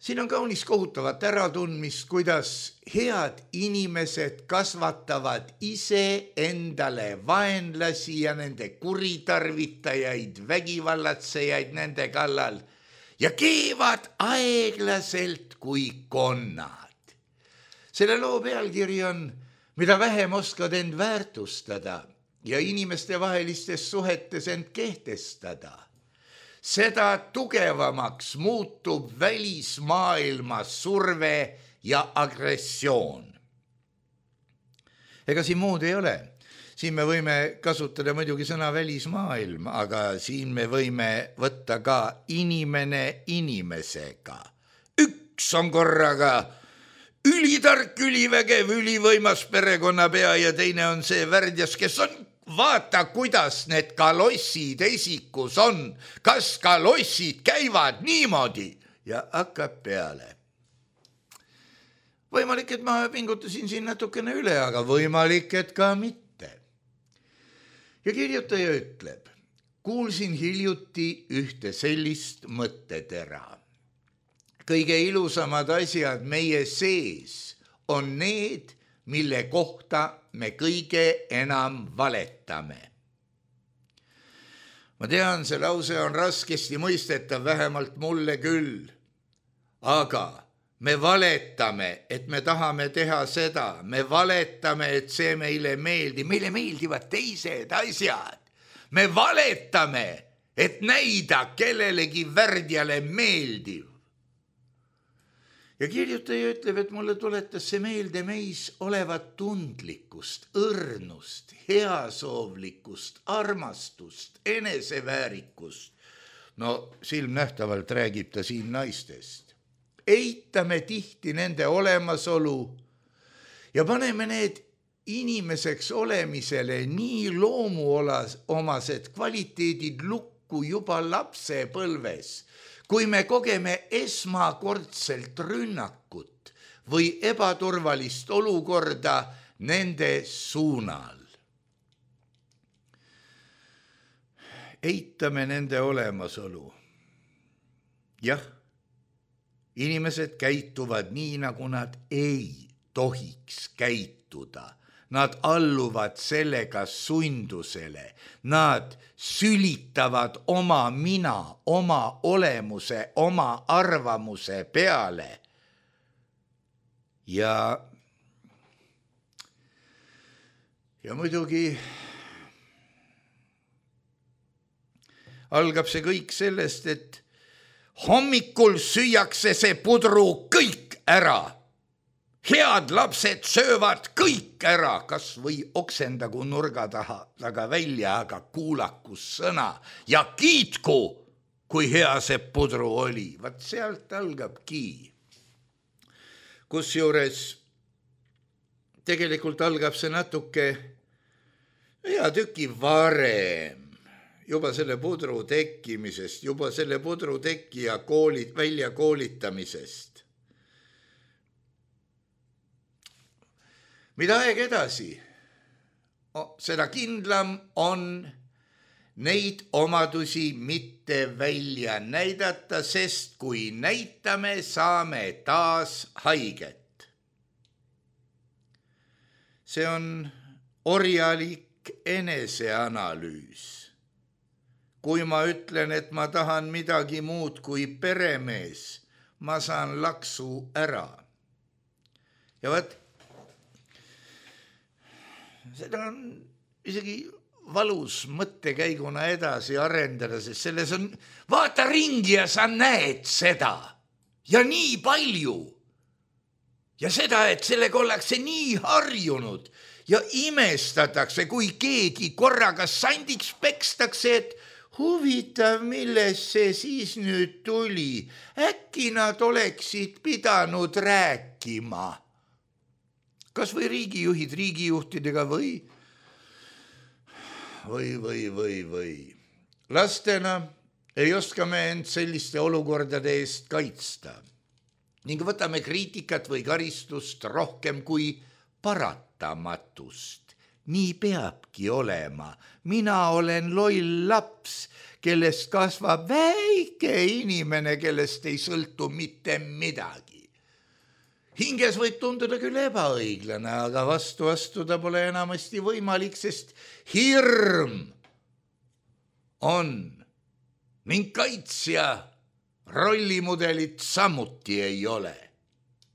Siin on kaunis kohutavat äratundmist, kuidas head inimesed kasvatavad ise endale vaenlasi ja nende kuritarvitajaid, vägivallatsejaid nende kallal ja keevad aeglaselt kui konnad. Selle loo pealkiri on, mida vähem oskad end väärtustada ja inimeste vahelistes suhetes end kehtestada, seda tugevamaks muutub välismaailma surve ja agressioon. Ega siin muud ei ole. Siin me võime kasutada muidugi sõna välismaailm, aga siin me võime võtta ka inimene inimesega. Üks on korraga ülitark, ülivägev, ülivõimas perekonnapea ja teine on see värdjas, kes on, vaata, kuidas need kalossid esikus on, kas kalossid käivad niimoodi ja hakkab peale. Võimalik, et ma pingutasin siin natukene üle, aga võimalik, et ka mitte. Ja kirjutaja ütleb, kuulsin hiljuti ühte sellist mõttetera. Kõige ilusamad asjad meie sees on need, mille kohta me kõige enam valetame. Ma tean, see lause on raskesti mõistetav, vähemalt mulle küll. Aga me valetame, et me tahame teha seda. Me valetame, et see meile meeldib. Meile meeldivad teised asjad. Me valetame, et näida kellelegi värdjale meeldiv. Ja kirjutaja ütleb, et mulle tuletas see meelde meis olevat tundlikkust, õrnust, heasoovlikkust, armastust, eneseväärikust. No silmnähtavalt räägib ta siin naistest. Eitame tihti nende olemasolu ja paneme need inimeseks olemisele nii loomuomased kvaliteedid lukku juba lapsepõlves, kui me kogeme esmakordselt rünnakut või ebaturvalist olukorda nende suunal. Eitame nende olemasolu. Jah, inimesed käituvad nii, nagu nad ei tohiks käituda. Nad alluvad sellega sundusele. Nad sülitavad oma mina, oma olemuse, oma arvamuse peale. Ja, ja muidugi algab see kõik sellest, et hommikul süüakse see pudru kõik ära. Head lapsed söövad kõik ära, kas või oksendagu nurga taha taga välja, aga kuulaku sõna ja kiitku, kui hea see pudru oli. Vaat sealt algabki. Kusjuures tegelikult algab see natuke hea tüki varem, juba selle pudru tekkimisest, juba selle pudru tekkija koolit, välja koolitamisest. Mida aeg edasi? Seda kindlam on neid omadusi mitte välja näidata, sest kui näitame, saame taas haiget. See on orjalik eneseanalüüs. kui ma ütlen, et ma tahan midagi muud kui peremees, ma saan laksu ära. Ja võt, seda on isegi valus mõttekäiguna edasi arendada, sest selles on, vaata ringi ja sa näed seda ja nii palju. Ja seda, et sellega ollakse nii harjunud ja imestatakse, kui keegi korraga sandiks pekstakse, et huvitav, milles see siis nüüd tuli. Äkki nad oleksid pidanud rääkima. Kas või riigijuhid riigijuhtidega või? Või, või, või, või. Lastena ei oska me end selliste olukordade eest kaitsta. Ning võtame kriitikat või karistust rohkem kui paratamatust. Nii peabki olema. Mina olen loll laps, kellest kasvab väike inimene, kellest ei sõltu mitte midagi. Hinges võib tunduda küll ebaõiglane, aga vastu astuda pole enamasti võimalik, sest hirm on ning kaitsja rollimudelit samuti ei ole.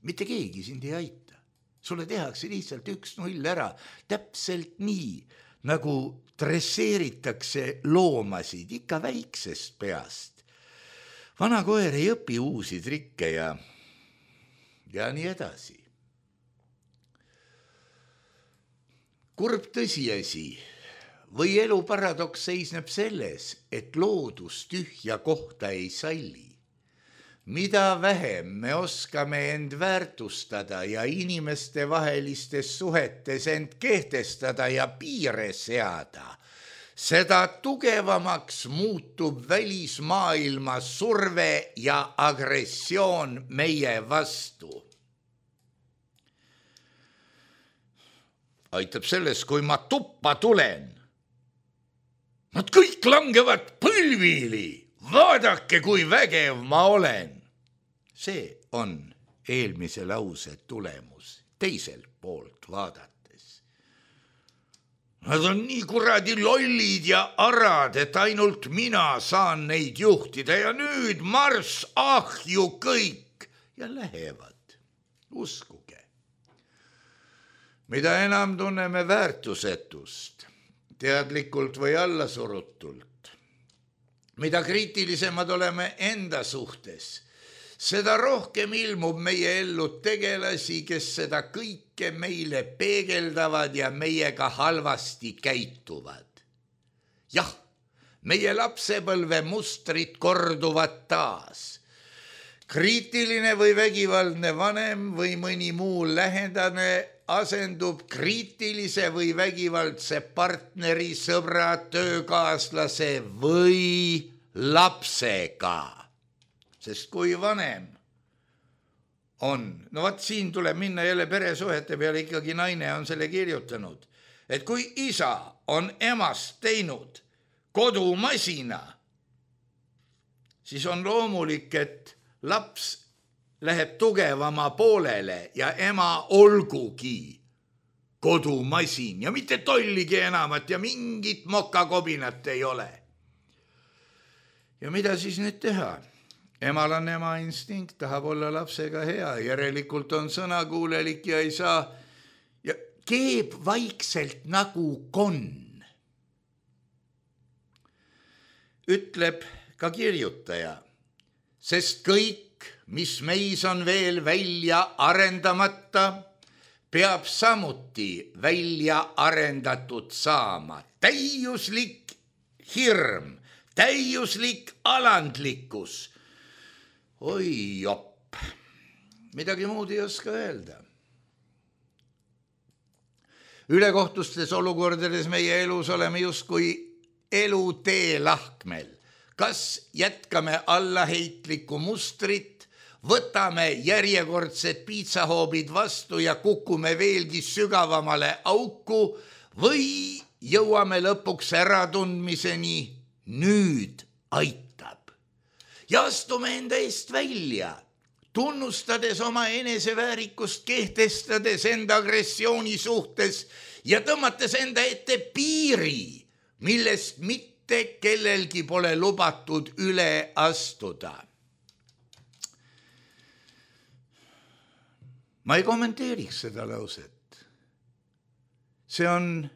Mitte keegi sind ei aita. Sulle tehakse lihtsalt üks null ära, täpselt nii, nagu dresseeritakse loomasid ikka väiksest peast. Vana koer ei õpi uusi trikke ja, ja nii edasi. Kurb tõsiasi või elu paradoks seisneb selles, et loodus tühja kohta ei salli. Mida vähem me oskame end väärtustada ja inimeste vahelistes suhetes end kehtestada ja piire seada, seda tugevamaks muutub välismaailma surve ja agressioon meie vastu. Aitab selles, kui ma tuppa tulen. Nad kõik langevad põlvili. Vaadake, kui vägev ma olen. See on eelmise lause tulemus teiselt poolt vaadates. Nad on nii kuradi lollid ja arad, et ainult mina saan neid juhtida ja nüüd marss ahju kõik ja lähevad. Uskuge. Mida enam tunneme väärtusetust, teadlikult või allasurutult, mida kriitilisemad oleme enda suhtes, seda rohkem ilmub meie ellu tegelasi, kes seda kõike meile peegeldavad ja meiega halvasti käituvad. Jah, meie lapsepõlve mustrid korduvad taas. Kriitiline või vägivaldne vanem või mõni muu lähendane asendub kriitilise või vägivaldse partneri, sõbra, töökaaslase või lapsega. Sest kui vanem on, no vaat siin tuleb minna jälle peresuhete peale, ikkagi naine on selle kirjutanud, et kui isa on emast teinud kodumasina, siis on loomulik, et laps läheb tugevama poolele ja ema olgugi kodumasin ja mitte tolligi enamat ja mingit mokakobinat ei ole. Ja mida siis nüüd teha? Emal on ema instinkt, tahab olla lapsega hea, järelikult on sõnakuulelik ja ei saa ja keeb vaikselt nagu konn. Ütleb ka kirjutaja, sest kõik, mis meis on veel välja arendamata, peab samuti välja arendatud saama. Täiuslik hirm, täiuslik alandlikkus. Oi jopp, midagi muud ei oska öelda. Ülekohtustes olukordades meie elus oleme justkui elutee lahkmel. Kas jätkame allaheitlikku mustrit, võtame järjekordsed piitsahoobid vastu ja kukume veelgi sügavamale auku või jõuame lõpuks äratundmiseni, nüüd aitab. Ja astume enda eest välja, tunnustades oma eneseväärikust, kehtestades enda agressiooni suhtes ja tõmmates enda ette piiri, millest mitte mitte kellelgi pole lubatud üle astuda. ma ei kommenteeriks seda lauset. See on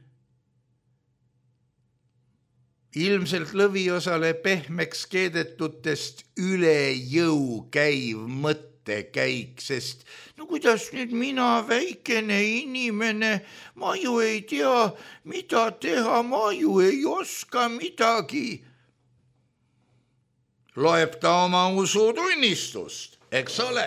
ilmselt lõviosale pehmeks keedetutest üle jõu käiv mõttekäik, sest no kuidas nüüd mina, väikene inimene, ma ju ei tea, mida teha, ma ju ei oska midagi. Loeb ta oma usutunnistust, eks ole.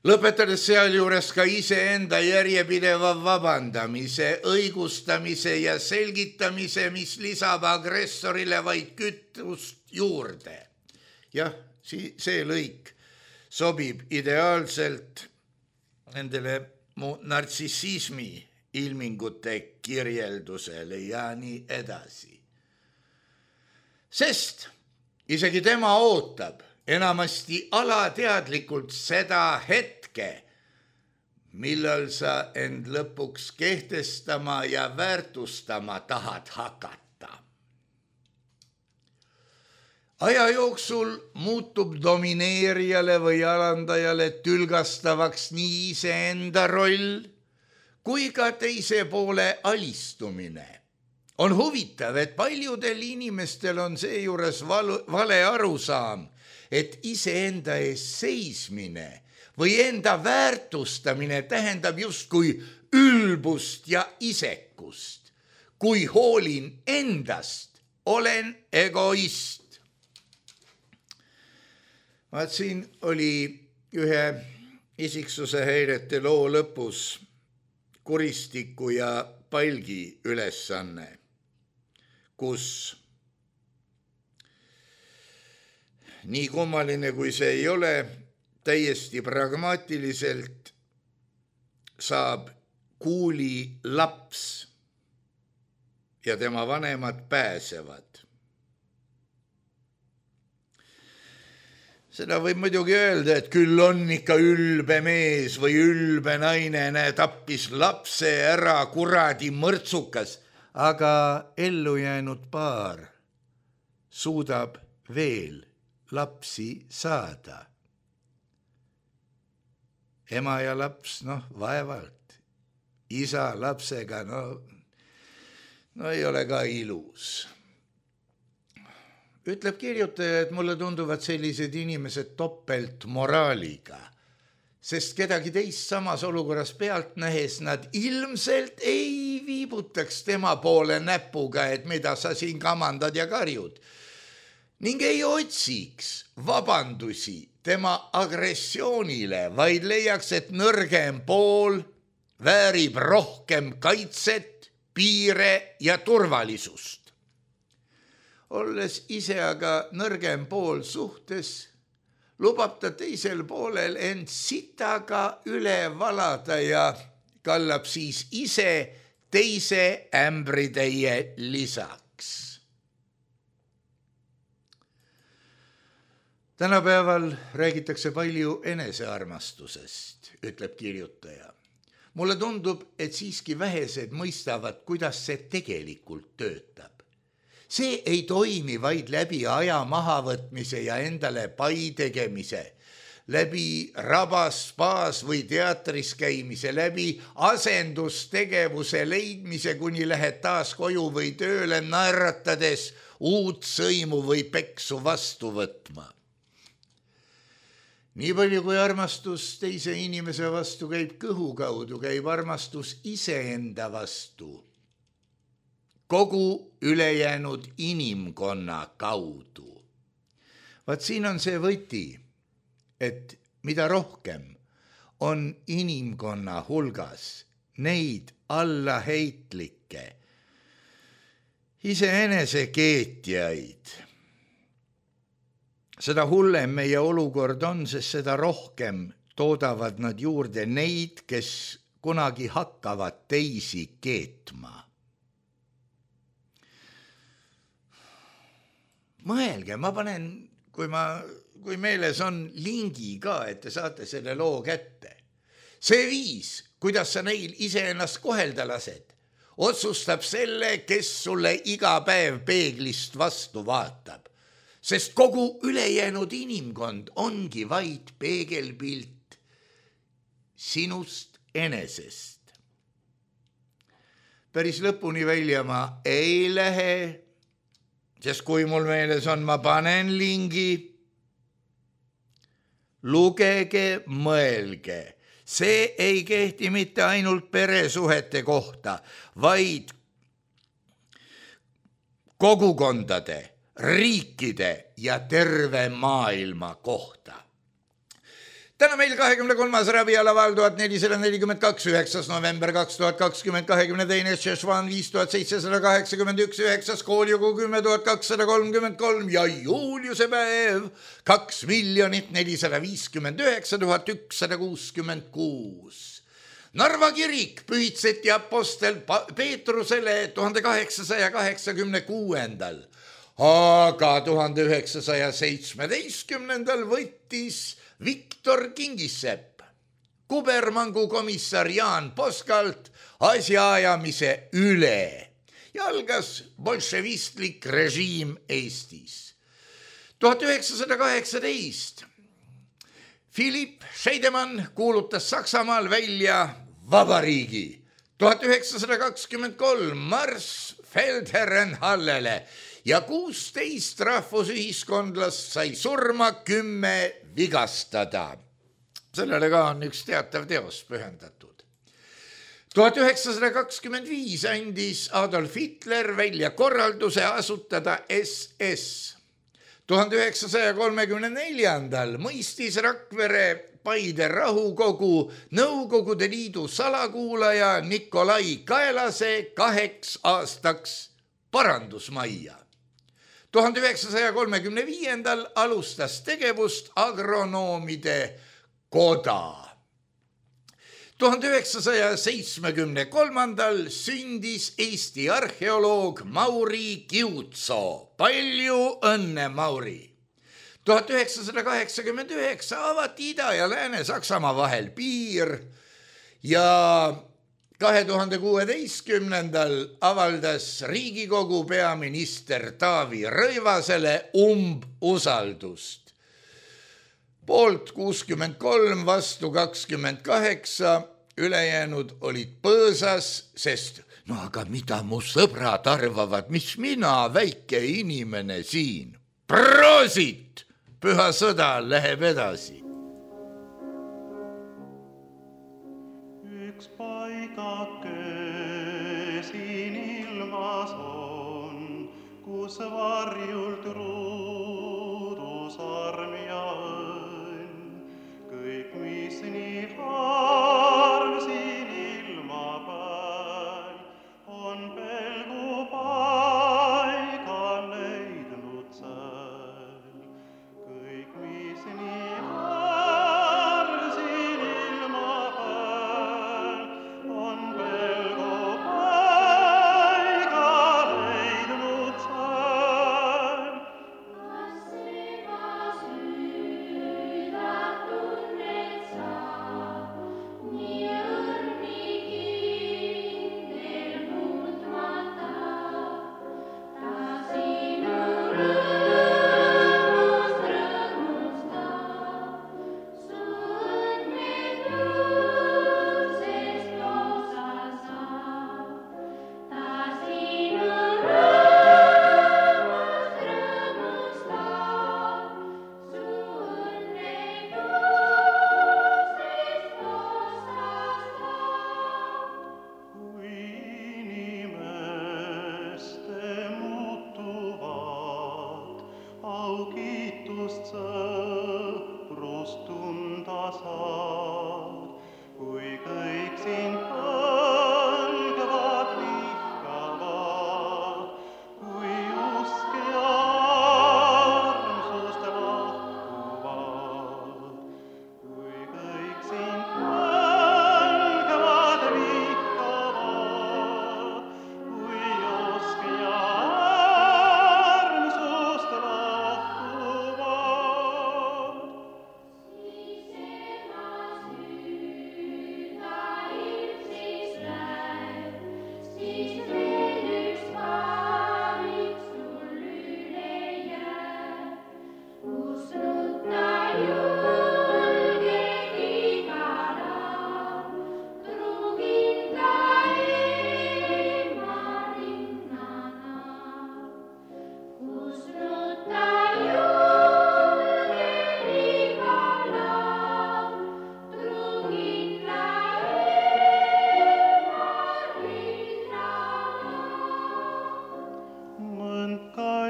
Lõpetades sealjuures ka iseenda järjepideva vabandamise, õigustamise ja selgitamise, mis lisab agressorile vaid kütust juurde. Jah, see lõik sobib ideaalselt nendele mu nartsissismi ilmingute kirjeldusele ja nii edasi. Sest isegi tema ootab enamasti alateadlikult seda hetke, millal sa end lõpuks kehtestama ja väärtustama tahad hakata. Aja jooksul muutub domineerijale või alandajale tülgastavaks nii iseenda roll kui ka teise poole alistumine. On huvitav, et paljudel inimestel on seejuures vale arusaam, et iseenda ees seismine või enda väärtustamine tähendab justkui ülbust ja isekust. Kui hoolin endast, olen egoist. Vaat siin oli ühe isiksuse häirete loo lõpus kuristiku ja palgi ülesanne, kus nii kummaline kui see ei ole, täiesti pragmaatiliselt saab kuuli laps ja tema vanemad pääsevad. Seda võib muidugi öelda, et küll on ikka ülbe mees või ülbe naine, näe tappis lapse ära kuradi mõrtsukas, aga ellu jäänud paar suudab veel lapsi saada. Ema ja laps, noh, vaevalt. Isa lapsega, no, no ei ole ka ilus. Ütleb kirjutaja, et mulle tunduvad sellised inimesed topelt moraaliga, sest kedagi teist samas olukorras pealt nähes nad ilmselt ei viibutaks tema poole näpuga, et mida sa siin kamandad ja karjud. Ning ei otsiks vabandusi tema agressioonile, vaid leiaks, et nõrgem pool väärib rohkem kaitset, piire ja turvalisust. Olles ise aga nõrgem pool suhtes, lubab ta teisel poolel end sitaga üle valada ja kallab siis ise teise ämbritäie lisaks. Tänapäeval räägitakse palju enesearmastusest, ütleb kirjutaja. Mulle tundub, et siiski vähesed mõistavad, kuidas see tegelikult töötab. See ei toimi vaid läbi aja mahavõtmise ja endale pai tegemise, läbi rabas, spaas või teatris käimise, läbi asendustegevuse leidmise, kuni lähed taas koju või tööle naeratades uut sõimu või peksu vastu võtma. Nii palju kui armastus teise inimese vastu käib kõhu kaudu, käib armastus iseenda vastu kogu ülejäänud inimkonna kaudu. Vaat siin on see võti, et mida rohkem on inimkonna hulgas neid allaheitlikke, iseenese keetjaid, seda hullem meie olukord on, sest seda rohkem toodavad nad juurde neid, kes kunagi hakkavad teisi keetma. Mõelge, ma panen, kui, ma, kui meeles on lingi ka, et te saate selle loo kätte. See viis, kuidas sa neil iseennast kohelda lased, otsustab selle, kes sulle iga päev peeglist vastu vaatab, sest kogu ülejäänud inimkond ongi vaid peegelpilt sinust enesest. Päris lõpuni välja ma ei lähe, sest kui mul meeles on, ma panen lingi. Lugege, mõelge, see ei kehti mitte ainult peresuhete kohta, vaid kogukondade, riikide ja terve maailma kohta. Täna meil kahekümne kolmas rabialaval tuhat nelisada nelikümmend kaks, üheksas november kaks tuhat kakskümmend, kahekümne teine Šešvan viis tuhat seitsesada kaheksakümmend üks, üheksas kooljugu kümme tuhat kakssada kolmkümmend kolm ja juuliuse päev kaks miljonit nelisada viiskümmend üheksa tuhat ükssada kuuskümmend kuus. Narva kirik pühitseti apostel Peetrusele tuhande kaheksasaja kaheksakümne kuuendal, aga tuhande üheksasaja seitsmeteistkümnendal võttis Viktor Kingissepp kubermangu komissar Jaan Poskalt asjaajamise üle ja algas bolševistlik režiim Eestis. tuhat üheksasada kaheksateist Philipp Scheidemann kuulutas Saksamaal välja vabariigi. tuhat üheksasada kakskümmend kolm Marss Feldherrenhallele ja kuusteist rahvusühiskondlast sai surma, kümme vigastada. Sellele ka on üks teatav teos pühendatud. tuhat üheksasada kakskümmend viis andis Adolf Hitler välja korralduse asutada S S. tuhande üheksasaja kolmekümne neljandal mõistis Rakvere Paide rahukogu Nõukogude Liidu salakuulaja Nikolai Kaelase kaheks aastaks parandusmajja. tuhande üheksasaja kolmekümne viiendal alustas tegevust agronoomide koda. tuhande üheksasaja seitsmekümne kolmandal sündis Eesti arheoloog Mauri Kiutso. Palju õnne, Mauri! tuhat üheksasada kaheksakümmend üheksa avati Ida- ja Lääne-Saksamaa vahel piir ja kahe tuhande kuueteistkümnendal avaldas Riigikogu peaminister Taavi Rõivasele umbusaldust. Poolt kuuskümmend kolm, vastu kakskümmend kaheksa, ülejäänud olid põõsas, sest no aga mida mu sõbrad arvavad, mis mina, väike inimene siin. Proosit! Püha sõda läheb edasi. Üks paigake siin ilmas on, kus varjult ruudus arm ja õnn. Kõik, mis nii harm siin ilma peal, on pelgu paiga leidnud sääl. Kõik, mis nii harm siin ilma peal, on pelgu paiga leidnud sääl.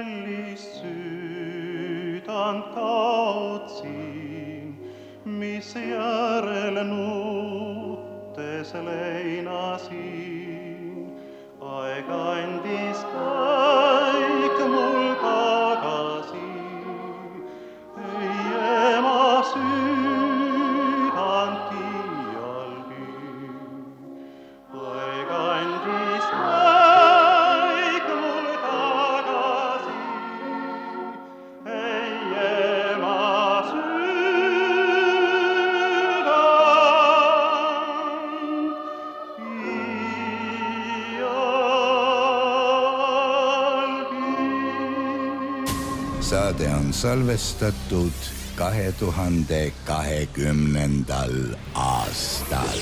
kallist süüdant kaotsin, mis järel nuttes leinasin. Aeg andis kõik mul tagasi, ei ema süüdant iialgi. Aeg andis kõik mul tagasi, ei ema Saade on salvestatud kahe tuhande kahekümnendal aastal.